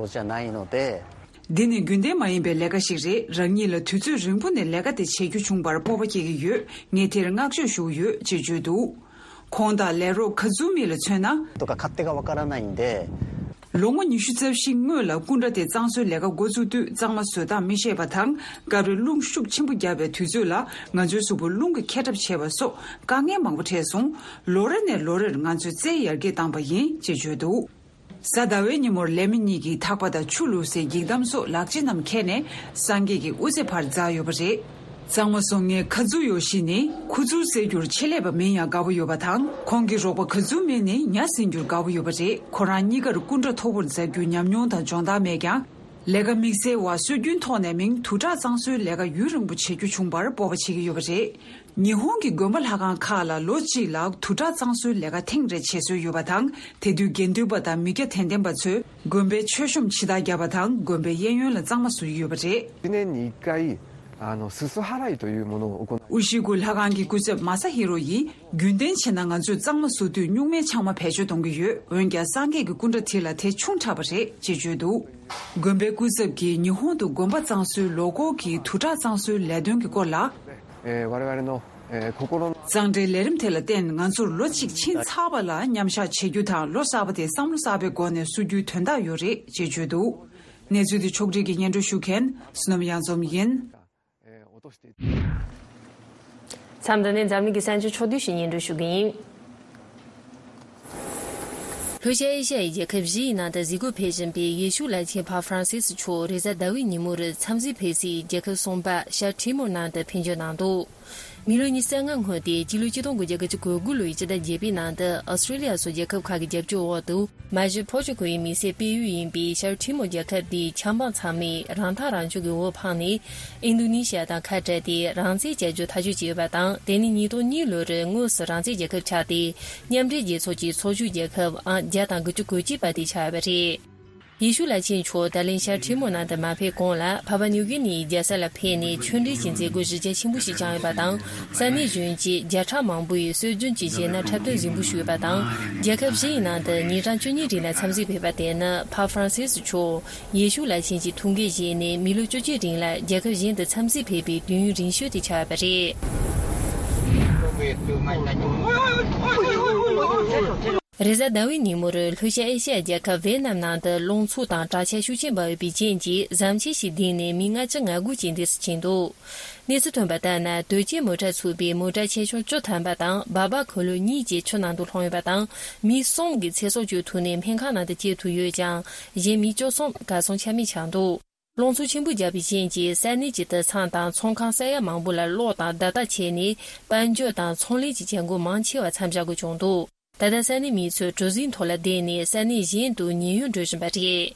འདི་ནི་རྒྱུན་ལྡན་མ་ཡིན་པའི་ལས་ཀ་ཞིག་རེད། རང་ཉིད་ལ་དུས་ཚོད་རིང་པོ་ནས་ལས་ཀ་དེ་བྱེད་རྒྱུ་བྱུང་བར་སྤོབས་པ་སྐྱེ་གི་ཡོད། ངས་དེར་བསྔགས་བརྗོད་ཞུ་གི་ཡོད་ཅེས་བརྗོད་འདུག། ཁོང་དང་ལས་རོགས་ཁ་ཛུ་མི་ལ་མཚོན་ན། ལོ་ངོ་ཉི་ཤུ་རྩ་བཞི་སྔོན་ལ་སྐུ་འདྲ་དེ་གཙང་བཟོའི་ལས་ཀ་འགོ་བཙུགས་དུས་གཙང་མ་བཟོ་སྟངས་མི་ཤེས་པ་དང་། སྐབས་རེ་རླུང་ཤུགས་ཆེན་པོ་བརྒྱབ་པའི་དུས་ཚོད་ལ་ང་ཚོའི་གཟུགས་པོ་རླུང་གིས་འཁྱེར་གྲབས་བྱས་པ་སོགས་དཀའ་ངལ་མང་པོ་འཕྲད་སོང་། ལོ་རེ་ནས་ལོ་རེར་ང་ཚོས་རྩལ་ཡར་རྒྱས་བཏང་པ་ཡིན་ཅེས་བརྗོད་འདུག། གཟའ་ཟླ་བའི་ཉིན་མོར་ལས་མི་གཉིས་ཀྱིས་ཐག་པ་དང་ཆུ་བླུགས་སའི་འགྱིག་དམ་སོགས་ལག་ཆ་རྣམས་འཁྱེར་ནས་སངས་རྒྱས་ཀྱི་དབུ་རྩེ་བར་འཛེགས་ཡོད་པ་རེད། གཙང་མ་བཟོ་མཁན་ཁ་ཛུ་ཡོ་ཤི་ནི་ཁུ་ཚུར་རྩེད་རྒྱུར་ཆེད་ལས་པ་མིན་ཡང་དགའ་པོ་ཡོད་པ་དང་། ཁོང་གི་རོགས་པ་ཁ་ཛུ་མི་ནི་ཉ་ཟིན་རྒྱུར་དགའ་པོ་ཡོད་པ་རེད། ཁོ་རང་གཉིས་ཀར་སྐུ་འདྲ་མཐོ་པོར་འཛེགས་རྒྱུའི་ཉམས་མྱོང་དང་སྦྱོང་བརྡར་མེད་ཀྱང་། ལས་ཀ་དམིགས་བསལ་བ་སྲོལ་རྒྱུན་ཐོག་ནས་མིང་དུར་ཁྲག་གཙང་བཟོའི་ལས་ཀ་ཡུན་རིང་པོ་བྱེད་རྒྱུ་བྱུང་བར་སྤོབས་པ་བྱེད་ཀྱི་ཡོད་པ་རེད། ཉི་ཧོང་གི་དགོན་པ་ལྷ་ཁང་ཁག་ལ་ལོ་གཅིག་ལ་དུར་ཁྲག་གཙང་བཟོའི་ལས་ཀ་ཐེངས་རེ་བྱེད་སྲོལ་ཡོད་པ་དང་། དེ་དུས་དགེ་འདུན་པ་དང་མི་སྐྱ་དད་ལྡན་པ་ཚོས་དགོན་པའི་མཆོད་གཤོམ་ཕྱི་བདར་བརྒྱབ་པ་དང་། དགོན་པའི་གཡས་གཡོན་ལ་གཙང་མ་བཟོ་ཡི་ཡོད་པ་རེད། 今年你可以あの、すす払いというものを行う。 ཨུ་ཤི་གུ་ལྷ་ཁང་གི་སྐུ་ཚབ་མ་ས་ཧི་རོ་ཡིས། རྒྱུན་ལྡན་བྱས་ན་ང་ཚོས་གཙང་མ་བཟོ་དུས་སྨྱུག་མའི་ཆང་མ་བེད་སྤྱོད་གཏོང་གི་ཡོད། འོན་ཀྱང་སངས་རྒྱས་ཀྱི་སྐུ་འདྲ་དེ་ལ་དེ་ཆུང་དྲགས་པ་རེད་ཅེས་བརྗོད་འདུག་དགོན་པའི་སྐུ་ཚབ་ཀྱིས་ཉི་ཧོང་དུ་དགོན་པ་གཙང་བཟོའི་ལོ་འཁོར་གྱི་དུས་དྲག་གཙང་བཟོའི་ལས་དོན་གྱི་སྐོར་ལ། えー我々の、えー心の གཙང་སྦྲའི་ལས་རིམ་དེ་ལ་བརྟེན་ང་ཚོར་ལོ་གཅིག་ཕྱིན་ཚར་བ་ལ་མཉམ་བཞག་བྱེད་རྒྱུ་དང་ལོ་གསར་པ་དེ་བསམ་བློ་གསར་པའི་སྒོ་ནས་བསུ་རྒྱུའི་དོན་དག་ཡོད་རེད་ཅེས་བརྗོད་འདུག་གནས་ཚུལ་དེ་ཕྱོགས་སྒྲིག་གིས་སྙན་སྒྲོན་ཞུ་མཁན་བསོད་ནམས་གཡང་འཛོམས་ཡིན། མཚམས་འདི་ནས་འཛམ་གླིང་གི་གསར་འགྱུར་ཕྱོགས་བསྡུས་ཤིག་སྙན་སྒྲོན་ཞུ་གི་ཡིན། ལྷོ་ཤར་ཨེ་ཤ་ཡའི་རྒྱལ་ཁབ་བཞི་ཡི་ནང་དུ་གཟིགས་སྐོར་ཕེབས་བཞིན་པའི་ཡེ་ཤུ་བླ་ཆེན་ཕ་ཧྥ་རན་སིས་མཆོག་རེས་གཟའ་ཟླ་བའི་ཉིན་མོར་འཚམས་གཟིགས་ཕེབས་སའི་རྒྱལ་ཁབ་གསུམ་པ་ཤར་ཊི་མོར་ནང་དུ་ཕེབས་འབྱོར་གནང་འདུག་མི་ལོ་ཉི་ཤུ་རྩ་ལྔ་སྔོན་ཏེ་སྤྱི་ལོ་ཆིག་སྟོང་དགུ་བརྒྱ་དགུ་བཅུ་གོ་དགུ་ལོའི་སྤྱི་ཟླ་བརྒྱད་པའི་ནང་དུ་ཨོ་སི་ཀྲི་ལི་ཡ་སོགས་རྒྱལ་ཁབ་ཁག་གི་རྒྱབ་སྐྱོར་འོག་ཏུ། མ་གཞི་ཕོར་ཅུ་གོ་ཡི་མི་སེར་སྤེལ་ཡུལ་ཡིན་པའི་ཤར་ཊི་མོར་རྒྱལ་ཁབ་དེའི་ཆབ་འབངས་ཚང་མས་རང་ཐག་རང་གཅོད་ཀྱི་འོས་འཕངས་ནས། ཨིན་དོ་ནེ་ཤི་ཡ་དང་ཁ་བྲལ་ཏེ་རང་བཙན་བྱ་རྒྱུ་ཐག་གཅོད་བྱས་ཡོད་པ་དང་། དེ་ནི་ཉིས་སྟོང་གཉིས་ལོར་དངོས་སུ་རང་བཙན་རྒྱལ་ཁབ་ཆགས་ཏེ། མཉམ་འབྲེལ་རྒྱལ་ཚོགས་ཀྱི་ཚོགས་ཞུགས་རྒྱལ་ཁབ་ཨང་བརྒྱ་དང་དགུ་བཅུ་གོ་གཅིག་པ་དེ་ཆགས་ཡོད་པ་རེད། ཡེ་ཤུ་བླ་ཆེན་མཆོག་ད་ལན་ཤར་ཊི་མོར་ནང་དུ་མ་ཕེབས་གོང་ལ་ཕ་པ་ནིའུ་གི་ནིའི་རྒྱལ་ས་ལ་ཕེབས་ནས་ཆོས་འབྲེལ་གྱི་མཛད་སྒོ་གཞི་རྒྱ་ཆེན་པོ་ཞིག་བསྐྱངས་ཡོད་པ་དང་། ས་གནས་གཞོན་སྐྱེས་བརྒྱ་ཕྲག་མང་པོ་ཡིས་སྲོལ་རྒྱུན་གྱི་གཞས་སྣ་འཁྲབ་སྟོན་གཟིགས་འབུལ་ཞུས་ཡོད་པ་དང་། རྒྱལ་ཁབ་བཞི་ཡི་ནང་དུ་ཉིན་གྲངས་བཅུ་གཉིས་རིང་ལ་འཚམས་གཟིགས་ཕེབས་པ་དེ་ནི་ཕ་ཧྥ་རན་སིས་མཆོག་ཡེ་ཤུ་བླ་ཆེན་གྱི་ཐུགས་འགན་བཞེས་ནས་མི་ལོ་བཅུ་གཅིག་རིང་ལ་རྒྱལ་ཁབ་གཞན་དུ་འཚམས་གཟིགས་ཕེབས་པའི་དུས་ཡུན་རིང་ཤོས་དེ་ཆགས་ཡོད་པ་རེད། རེས་གཟའ་ཟླ་བའི་ཉིན་མོར་ལྷོ་ཤར་ཨེ་ཤ་ཡ་རྒྱལ་ཁབ་ཝེ་ནམ་ནང་དུ་རླུང་འཚུབ་དང་དྲག་ཆར་ཤུགས་ཆེན་འབབ་ཡོད་པའི་རྐྱེན་གྱིས་ཟམ་ཆས་ཤིག་ལྡིང་ནས་མི་ལྔ་བཅུ་ང་དགུ་ཅན་འདས་སུ་ཕྱིན་འདུག་གནས་ཚུལ་ཐོན་པ་ལྟར་ན། དོས་སྐྱེལ་མོ་ཊ་ཚུད་པའི་མོ་ཊ་ཆེ་ཆུང་བཅུ་ཐམ་པ་དང་སྦག་སྦག་འཁོར་ལོ་གཉིས་བཅས་ཆུ་ནང་དུ་ལྷུང་ཡོད་པ་དང་། མི་གསུམ་གྱི་ཚེ་སྲོག་གཅོད་ཐུབ་ནས་སྨན་ཁང་ནང་དུ་སྐྱེལ་ཐུབ་ཡོད་ཀྱང་། གཞན་མི་བཅུ་གསུམ་གར་སོང་ཆ་མེད་ཆགས་འདུག་རླུང་འཚུབ་ཆེན་པོ་བརྒྱབ་པའི་རྐྱེན་གྱིས་ས་གནས་ཀྱི་དུད་ཚང་དང་ཚོང་ཁང་ས་ཡ་མང་པོ་ལ་གློག་དང་བརྡ་རྟགས་ཆད་ནས། དཔལ་འབྱོར་དང་ཚོང་ལས་ཀྱི་བྱེད་སྒོ་མང་ཆེ་བ་མཚམས་བཞག་དགོས་བྱུང་འདུག་ད་ལྟ་ས་གནས་མི་ཚོས་གྲུ་གཟིངས་ཐོག་ལ་བསྡད་ནས་ས་གནས་གཞན་དུ་ཉེན་གཡོལ་འགྲོ་བཞིན་པ་རེད།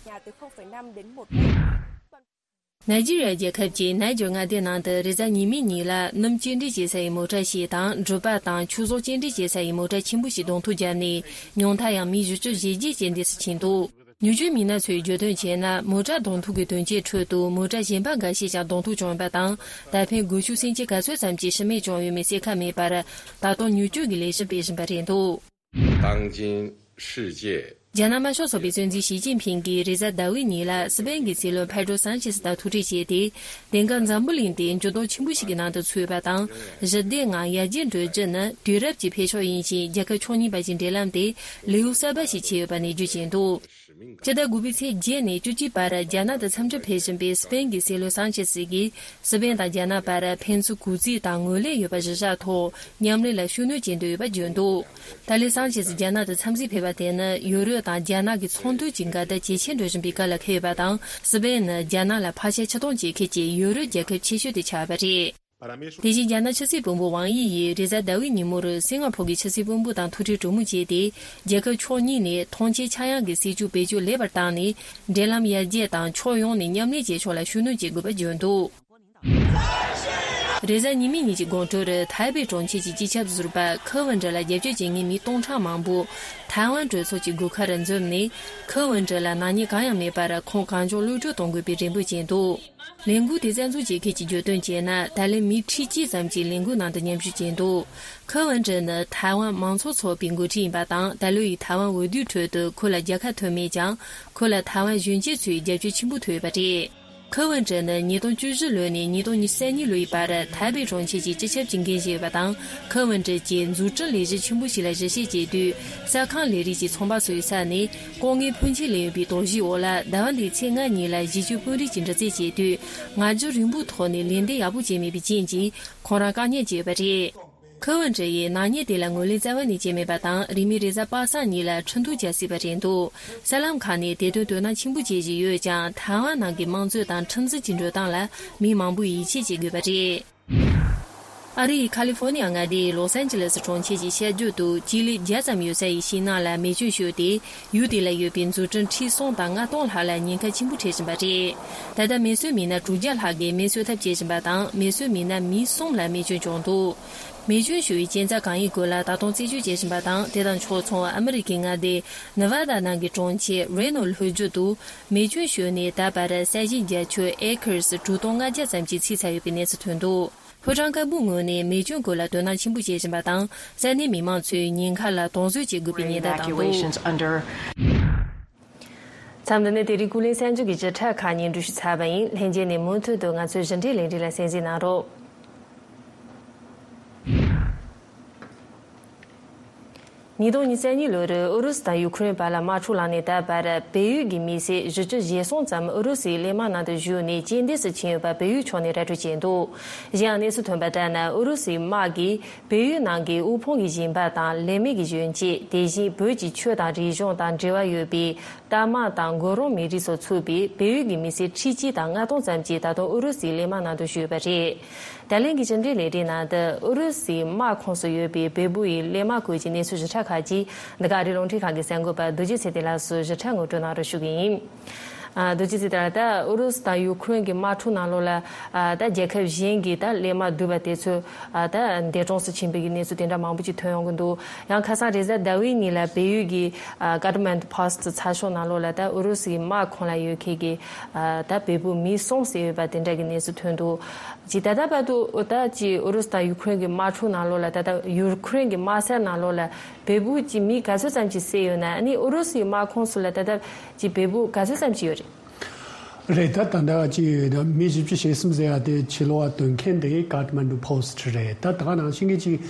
ནཱི་ཇི་རི་ཡ་རྒྱལ་ཁབ་ཀྱི་ནཱི་ཇར་མངའ་སྡེ་ནང་དུ་རེས་གཟའ་ཉི་མའི་ཉིན་ལ་སྣུམ་སྐྱེལ་འདྲེན་བྱེད་ས་ཡི་མོ་ཊ་ཞིག་དང་འབྲུ་པ་དང་ཆུ་གསོག་སྐྱེལ་འདྲེན་བྱེད་ས་ཡི་མོ་ཊ་ཆེན་པོ་ཞིག་གདོང་ཐུག་བརྒྱབ་ནས་ཉུང་མཐར་ཡང་མི་བཞི་བཅུ་ཞེ་བརྒྱད་ཅན་འདས་སུ་ཕྱིན་འདུག་མྱུར་སྐྱོབ་མི་སྣ་ཚོས་བརྗོད་དོན་བྱས་ན། མོ་ཊ་གདོང་ཐུག་གི་དོན་རྐྱེན་ཁྲོད་དུ་མོ་ཊ་གཞན་པ་འགའ་ཤས་ཀྱང་གདོང་ཐུག་བྱུང་ཡོད་པ་དང་། ད་ཕན་སྒོ་ཕྱུགས་སེམས་ཅན་ག་ཚོད་ཙམ་གྱི་ཤི་རྨས་བྱུང་ཡོད་མེད་གསལ་ཁ་མེད་པར། ད་དུང་མྱུར་སྐྱོབ་ཀྱི་ལས་གཞི་སྤེལ་བཞིན་པ་རེད་འདུག 当今世界། རྒྱ་ནག་དམར་ཤོག་ཚོགས་པའི་སྲིད་འཛིན་ཞི་ཅིན་ཕིང་གིས་རེས་གཟའ་ཟླ་བའི་ཉིན་ལ་སི་པེན་གྱི་སྲིད་བློན་ཕེ་ཏྲོ་སཱན་ཆེ་སི་དང་ཐུག་འཕྲད་བྱས་ཏེ། དེང་སྐབས་འཛམ་བུ་གླིང་དེ་འགྱུར་ལྡོག་ཆེན་པོ་ཞིག་གི་ནང་དུ་ཚུད་ཡོད་པ་དང་། ཞི་བདེ་ངང་ཡར་རྒྱས་འགྲོ་རྒྱུ་ནི་དུས་རབས་ཀྱི་འཕེལ་ཕྱོགས་ཡིན་ཞིང་། རྒྱལ་ཁབ་ཕྱོགས་གཉིས་བར་གྱི་འབྲེལ་ལམ་དེ་ལེའུ་གསར་པ་ཞིག་ཕྱེ་ཡོད་པ་ནས་བརྗོད་ཀྱིན་འདུག་སྤྱི་ཟླ་དགུ་པའི་ཚེས་བརྒྱད་ནས་བཅུ་གཅིག་བར་རྒྱ་ནག་ཏུ་འཚམས་འདྲིར་ཕེབས་བཞིན་པའི་སི་པེན་གྱི་སྲིད་བློན་སཱན་ཆེ་སི་གིས། སི་པེན་དང་རྒྱ་ནག་བར་ཕན་ཚུན་གུས་བརྩི་དང་ངོས་ལེན་ཡོད་པ་གཞིར་བཞག་ཐོག་མཉམ་ལས་ལ་ཤུགས་སྣོན་བྱེད་འདོད་ཡོད་པ་བརྗོད་འདུག་ད་ལན་སཱན་ཆེ་སི་རྒྱ་ནག་ཏུ་འཚམས་གཟིགས་ཕེབས་པ་དེ་ནི་ཡུ་རོབ་དང་རྒྱ་ནག་གི་ཚོང་དོན་གྱི་འགལ་ཟླ་ཇེ་ཆེར་འགྲོ་བཞིན་པའི་སྐབས་ལ་འཁེལ་ཡོད་པ་དང་། སི་པེན་ནི་རྒྱ་ནག་ལ་ཕར་ཆེར་ཕྱིར་གཏོང་བྱེད་མཁན་གྱི་ཡུ་རོབ་རྒྱལ་ཁབ་ཆེ་ཤོས་དེ་ཆགས་ཡོད་པ་རེད། དེ་བཞིན་རྒྱ་ནག་ཕྱི་སྲིད་བློན་པོ་ཝང་དབྱི་ཡིས་རེས་གཟའ་ཟླ་བའི་ཉིན་མོར་སིང་ག་ཕོར་གྱི་ཕྱི་སྲིད་བློན་པོ་དང་ཐུག་འཕྲད་གྲོས་མོལ་བྱས་ཏེ། རྒྱལ་ཁབ་ཕྱོགས་གཉིས་ནས་ཐོངས་མཆན་ཆག་ཡང་གི་སྲིད་བྱུས་བེད་སྤྱོད་ལེགས་པར་བཏང་ནས། འབྲེལ་ལམ་ཡར་རྒྱས་དང་ཕྱོགས་ཡོངས་ནས་མཉམ་ལས་བྱེད་ཕྱོགས་ལ་ཤུགས་སྣོན་བྱེད་དགོས་པ་བརྗོད་འདུག་རེས་གཟའ་ཉི་མའི་ཉིན་གྱི་དགོང་དྲོར་ཐའེ་པེ་གྲོང་ཁྱེར་གྱི་སྤྱི་ཁྱབ་ཟུར་པ་ཁེ་ཝུན་ཀྲི་ལ་རྒྱབ་སྐྱོར་བྱེད་མཁན་མི་སྟོང་ཕྲག་མང་པོ་ཐའེ་ཝན་གྲོས་ཚོགས་ཀྱི་སྒོ་ཁར་འཛོམས་ནས། ཁེ་ཝུན་ཀྲི་ལ་ནག་ཉེས་གང་ཡང་མེད་པར་ཁོང་གང་མགྱོགས་གློད་བཀྲོལ་གཏོང་དགོས་པའི་རེ་འབོད་བྱས་འདུག་ལས་འགུལ་དེ་རྩ་འཛུགས་བྱེད་མཁན་གྱིས་བརྗོད་དོན་བྱས་ན། ད་ལན་མི་ཁྲི་གཅིག་ཙམ་གྱིས་ལས་འགུལ་ནང་དུ་མཉམ་ཞུགས་བྱས་འདུག་ཁེ་ཝུན་ཀྲི་ནི་ཐའེ་ཝན་མང་གཙོ་ཚོགས་པའི་འགོ་ཁྲིད་ཡིན་པ་དང་། ད་ལོ་ཡི་ཐའེ་ཝན་འོས་བསྡུའི་ཁྲོད་དུ་ཁོ་ལ་རྒྱལ་ཁ་ཐོབ་མེད་ཀྱང་། ཁོ་ལ་ཐའེ་ཝན་གཞོན་སྐྱེས་ཚོའི་རྒྱབ་སྐྱོར་ཆེན་པོ་ཐོབ་ཡོད་པ་རེད། ཁེ་ཝུན་ཀྲི་ནི་ཉིས་སྟོང་བཅུ་བཞི་ལོ་ནས་ཉིས་སྟོང་ཉི་ཤུ་རྩ་གཉིས་ལོའི་བར་ཐའེ་པེ་གྲོང་ཁྱེར་གྱི་སྤྱི་ཁྱབ་ཀྱི་འགན་བཞེས་ཡོད་པ་དང་། ཁེ་ཝུན་ཀྲི་གྱིས་འཛུགས་སྐྲུན་ལས་གཞི་ཆེན་པོ་ཞིག་ལ་གཞི་བྱས་བྱེད་དུས། གསར་ཁང་ལས་རིགས་ཀྱི་ཚོང་པ་ཚོའི་ས་ནས་ལྐོག་རྔན་ཕོན་ཆེ་ལེན་ཡོད་པའི་དོགས་གཞིའི་འོག་ལ། ཟླ་བ་འདིའི་ཚེས་ལྔ་ཉིན་ལ་གཞིས་བྱེས་དཔོན་རིགས་ཀྱིས་འདྲི་རྩད་བྱས་དུས། ང་རྒྱལ་རིང་པོའི་ཐོག་ནས་ལན་འདེབས་ཡག་པོ་བྱས་མེད་པའི་རྐྱེན་གྱིས་ཁོང་རང་བཀག་ཉར་བྱས་ཡོད་པ་རེད། ཁེ་ཝུན་ཀྲི་ཡིས་ནག་ཉེས་དེ་ལ་ངོས་ལེན་རྩ་བ་ནས་བྱས་མེད་པ་དང་། རིང་མིན་རེས་གཟའ་པ་སངས་ཉིན་ལ་ཁྲིམས་གཏུག་བྱ་སྲིད་པ་རེད་འདུག་གསར་ལམ་ཁག་ནས་དེ་དོན་དོ་སྣང་ཆེན་པོ་བྱེད་བཞིན་ཡོད་ཀྱང་། ཐའེ་ཝན་ནང་གི་དམངས་གཙོ་དང་ཁྲིམས་འཛིན་གྱི་འགྲོ་སྟངས་ལ་མི་མང་པོས་ཡིད་ཆེས་བྱེད་དགོས་པ་རེད། ཨ་རི་ཡི་ཁ་ལི་ཧྥོ་ནི་ཡ་མངའ་སྡེའི་ལོས་ཨན་ཇི་ལེས་གྲོང་ཁྱེར་གྱི་ཤར་རྒྱུད་དུ་སྤྱི་ལེ་བརྒྱ་ཙམ་ཡོད་ས་ཡི་ཤིང་ནགས་ལ་མེ་སྐྱོན་ཤོར་ཏེ། ཡུལ་དེ་ལ་ཡོད་པའི་འཛུགས་སྐྲུན་ཁྲི་གསུམ་དང་ལྔ་སྟོང་ལྷག་ལ་ཉེན་ཁ་ཆེན་པོ་འཕྲད་བཞིན་པ་རེད། ད་ལྟ་མེ་གསོད་མི་སྣ་དྲུག་བརྒྱ་ལྷག་གིས་མེ་གསོད་ཐབས་བྱེད་བཞིན་པ་དང་། མེ་གསོད་མི་སྣ་མི་གསུམ་ལ་རྨས་སྐྱོན་བྱུང་འདུག་མེ་སྐྱོན་ཤོར་བའི་རྐྱེན་རྩ་གང་ཡིན་སྐོར་ལ་ད་དུང་རྩད་གཅོད་བྱེད་བཞིན་པ་དང་། དེ་དང་ཕྱོགས་མཚུངས་ཨ་མི་རི་ཀའི་མངའ་སྡེ་ནི་ཝ་ད་ནང་གི་གྲོང་ཁྱེར་རེ་ནོ་ལྷོ་རྒྱུད་དུ་མེ་སྐྱོན་ཤོར་ནས་ད་བར་ས་ཞིང་བརྒྱ་ཆ་ཨེ་ཀར་དྲུག་སྟོང་ལྔ་བརྒྱ་ཙམ་གྱིས་ཚིག་ཚར་ཡོད་པའི་གནས་ཚུལ་ཐོན་འདུག་ཕོ་བྲང་དཀར་པོའི་ངོས་ནས་མེ་སྐྱོན་སྐོར་ལ་དོ་སྣང་ཆེན་པོ་བྱེད་བཞིན་པ་དང་། ས་གནས་མི་མང་ཚོས་ཉེན་ཁ་ལ་དོགས་ཟོན་བྱེད་དགོས་པའི་ཉེན་བརྡ་བཏང་འདུག Evacuations under མཚམས་འདི་ནས་དེ་རིང་ཀུན་གླེང་གསར་འགྱུར་གྱི་བརྒྱུད་བསྒྲགས་ཁག་གཉིས་འགྲུབ་ཞུས་ཚར་བ་ཡིན། ལྷན་རྒྱས་ནས་མུ་མཐུད་དུ་ང་ཚོའི་ཞིབ་ཕྲའི་ལས་རིམ་ལ་གསན་གཟིགས་གནང་རོགས། ཉིས་སྟོང་ཉེར་གཉིས་ལོར་ཨུ་རུ་སུ་དང་ཡུ་ཁུ་རེན་བར་ལ་དམག་འཁྲུག་ལངས་ནས་ད་བར་བལ་ཡུལ་གྱི་མི་སེར་བཞི་བཅུ་ཞེ་གསུམ་ཙམ་ཨུ་རུ་སུའི་གླས་དམག་ནང་དུ་ཞུགས་ནས་རྐྱེན་འདས་སུ་ཕྱིན་ཡོད་པ་བལ་ཡུལ་ཕྱོགས་ནས་ར་སྤྲོད་བྱས་འདུག་གཞན་ཡང་གནས་ཚུལ་ཐོན་པ་ལྟར་ན། ཨུ་རུ་སུའི་དམག་གིས་བལ་ཡུལ་ནང་གི་དབུལ་ཕོངས་ཀྱི་ཞིང་པ་དང་ལས་མེད་ཀྱི་གཞོན་སྐྱེས། དེ་བཞིན་བོད་ཀྱི་ཆོས་དང་རིག་གཞུང་དང་འབྲེལ་བ་ཡོད་པའི་རྟ་དམག་དང་མགོ་རོང་མི་རིགས་སོགས་ཚུད་པའི་བལ་ཡུལ་གྱི་མི་སེར་ཁྲི་གཅིག་དང་ལྔ་སྟོང་ཙམ་གྱིས་ད་དུང་ཨུ་རུ་སུའི་གླས་དམག་ནང་དུ་ཞུགས་ཡོད་པ་རེད། ད་ལན་གྱི་ཕྱི་འབྲེལ་ལས་རིམ་ནང་དུ་ཨུ་རུ་སུའི་དམག་ཁོངས་སུ་ཡོད་པའི་བལ་པོ་ཡི་གླས་དམག་སྐོར་གྱི་གནས་ཚུལ་ཞིབ་ཕྲ་ཁག་ཅིག་འདི་ག་ཨ་རིའི་རླུང་འཕྲིན་ཁང་གི་གསར་འགོད་པ་རྡོ་རྗེ་ཚེ་བརྟན་ལགས་སུ་ཞིབ་ཕྲ་ངོ་སྤྲོད་གནང་རོགས་ཞུ་གི་ཡིན། ཨ། རྡོ་རྗེ་ཚེ་བརྟན་ལགས། ད་ཨུ་རུ་སུ་དང་ཡུ་ཁུ་རེན་གྱི་དམག་འཁྲུག་ནང་ལོགས་ལ། ཨ། ད་རྒྱལ་ཁབ་གཞན་གྱི་ད་གླས་དམག་བསྡུས་པ་དེ་ཚོ། ཨ། ད་འདས་གྲོངས་སུ་ཕྱིན་པའི་གནས་ཚུལ་དེ་འདྲ་མང་པོ་ཅིག་ཐོན་ཡོང་གི་འདུག་ཡང་ཁ་སང་རེས་གཟའ་ཟླ་བའི་ཉིན་ལ་བལ་ཡུལ་གྱི། ཨ། ཀ་ཐ་མན་ཌུ་པོ་སི་ཊི་ཚགས་ཤོག་ནང་ལོགས་ལ་ད་ཨུ་རུ་སུའི་དམག་ཁོངས་ལ་ཡོད་མཁན་གྱི། ཨ། ད་བལ་པོ་མི་གསུམ་བསད་ཡོད་པ་དེ་འདྲ་གི་གནས་ཚུལ་ཐོན་འདུག་ཅིག་ད་ལྟ་བར་དུ་ད་ཅིག་ཨུ་རུ་སུ་དང་ཡུ་ཁུ་རེན་གྱི་དམག་འཁྲུག་ནང་ལོགས་ལ། ད་ལྟ་ཡུ་ཁུ་རེན་གྱི་དམག་ས་ནང་ལོགས་ལ་བལ་པོ་ཅིག་མི་ག་ཚོད་ཙམ་ཅིག་བསད་ཡོད་ན། ཨ་ནི་ཨུ་རུ་སུའི་དམག་ཁོངས་སུ་ལ་ད་ལྟ་ཅིག་བལ་པོ་ག་ཚོད་ཙམ་ཅིག་ཡོད་རེད། རེད། ད་ད་ལྟ་ཅིག་མི་བཞི་བཅུ་ཞེ་གསུམ་ཟེར་ཡ་དེ་ཕྱི་ལོགས་ལ་སྟོན་མཁན་དེ་ཀ་ཐ་མན་ཌུ་པོ་སི་ཊི་རེད། ད་ད་ག་ནང་བཞིན་གྱི་ཅིག་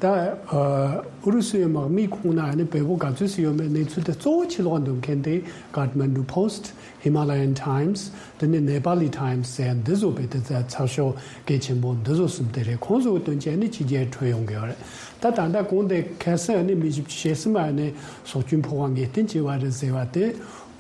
ད་ཨུ་རུ་སུའི་དམག་མིའི་ཁོངས་ན་ཨ་ནི་བལ་པོ་ག་ཚོད་ཙམ་ཡོད་མེད་གནས་ཚུལ་དེ་གཙོ་བོ་ཕྱི་ལོགས་ལ་སྟོན་མཁན་དེ་ཀ་ཐ་མན་ཌུ་པོ་སི་ཊི། ཧི་མ་ལ་ཡན་ཊའེམ་སི། དེ་ནས་ནེ་པ་ལི་ཊའེམ་སི་ཟེར་འདི་ཚོ་བོད་དེ་ཚ་ཚགས་ཤོག་གལ་ཆེན་པོ་འདི་ཚོ་གསུམ་དེ་རེད། ཁོང་ཚོ་གི་དོན་ཆེན་ནི་ཕྱི་རྒྱལ་འཕྲོད་ཡོང་གི་ཡོད་རེད། ད་ད་ལྟ་གོང་དེ་ཁ་སང་ནི་མི་བཞི་བཅུ་ཞེ་གསུམ་ཨ་ནི་སྲོག་སྐྱོན་ཕོག་པ་ངེས་གཏན་བྱས་པ་རེད་ཟེར་བ་དེ།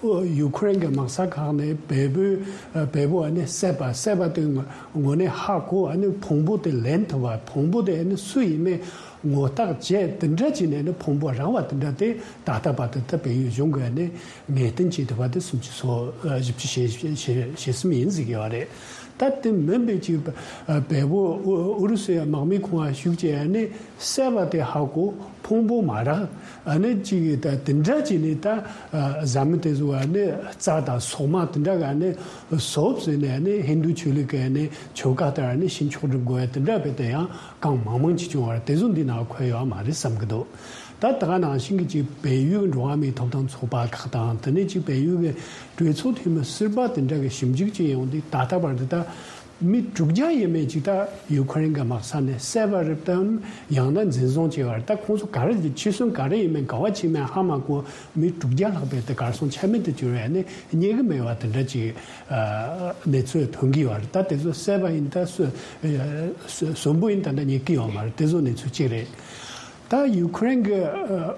ཨོ། ཡུ་ཁུ་རེན་གྱི་དམག་ས་ཁག་ནས་བལ་པོའི་ཨ་བལ་པོ་ཨ་ནི་བསད་པ། བསད་པ་དེ་ངོ་ངོ་ནས་ཧ་གོ། ཨ་ནི་ཕུང་པོ་དེ་ལེན་ཐུབ་པ། ཕུང་པོ་དེ་ཨ་ནི་སུ་ཡིན་མིན་ངོ་རྟགས་བྱས། དེ་འདྲ་བྱས་ནས་ནི་ཕུང་པོ་རག་པ་དེ་འདྲ་དེ་ད་ལྟ་བར་དུ་ད་བལ་ཡུལ་གཞུང་གིས་ནི་ངེས་གཏན་བྱས་ཐུབ་པ་དེ་སུམ་ཅུ་སོ་ཨ་བཞི་བཅུ་ཞེ་ཞེ་ཞེ་གསུམ་ཡིན་ཟེར་གྱི་ཡོད་རེད། ད་དེ་མིན་པའི་ཅིག་ཨ་བལ་པོ་ཨུ་ཨུ་རུ་སུའི་དམག་མིའི་ཁོངས་ལ་ཞུགས་བྱས་ནི་བསད་པ་དེ་ཧ་གོ། ཕུང་པོ་མ་རག་ཨ་ནི་ཅིག་ད་དེ་འདྲ་བྱས་ནས་ད་ཨ་བཟའ་མི་དེ་ཚོ་ཨ་ནི་རྩ་དང་སོག་མ་དེ་འདྲ་ག་ནི་སོབ་ཟེར་ནས་ཨ་ནི་ཧིན་རྡུ་ཆོས་ལུགས་ཀྱི་ཨ་ནི་ཆོལ་ཁ་ལྟར་ཨ་ནི་ཕྱི་ཕྱོགས་སྒྲུབ་དགོས་ཡ་དེ་འདྲ་བས་དེ་ཡང་གང་མང་མང་ཅིག་བྱུང་བ་རེད། དེ་ཚོ་འདི་ནང་འཁོད་ཡོད་མ་རེད་བསམ་གྱི་འདུག་ད་ད་ག་ནང་བཞིན་གྱི་ཅིག་བལ་ཡུལ་འགྲོ་བ་མིའི་ཐོབ་ཐང་ཚོགས་པ་ཁག་དང་། དེ་ནས་ཅིག་བལ་ཡུལ་གྱི་གྲོས་ཚོགས་འཐུས་མི་ཟུར་པ་དེ་འདྲ་གི་ཞིབ་འཇུག་བྱས་ཡོང་དུས། ད་ལྟ་བར་དུ་ད་མི་དྲུག་བརྒྱ་ཡས་མས་ཅིག་ད་ཡུ་ཁུ་རེན་གྱི་དམག་ས་ནས་བསད་པ་རེད་དམ། ཡང་ན་འཛིན་བཟུང་བྱས་པ་རེད། ད་ཁོང་ཚོ་ག་རེ་འཁྱེར་སོང་། ག་རེ་ཡིན་མིན། ག་བ་ཕྱིན་མིན་ཧ་མ་གོ། མི་དྲུག་བརྒྱ་ལྷག་པའི་དེ་གར་སོང་ཆ་མེད་དུ་གྱུར་བས་ནི་རྙེད་གི་མེད་པ་དེ་འདྲ་ཅིག་ཨ་གནས་ཚུལ་ཐོན་གྱི་ཡོད་རེད། ད་དེ་ཚོ་བསད་པ་ཡིན། ད་གསོན་གསོན་པོ་ཡིན། ད་ལྟ་རྙེད་ཀྱི་ཡོད་མ་རེད། དེ་ཚོ་གནས་ཚུལ་གཅིག་རེད། ད་ཡུ་ཁུ་རེན་གྱི་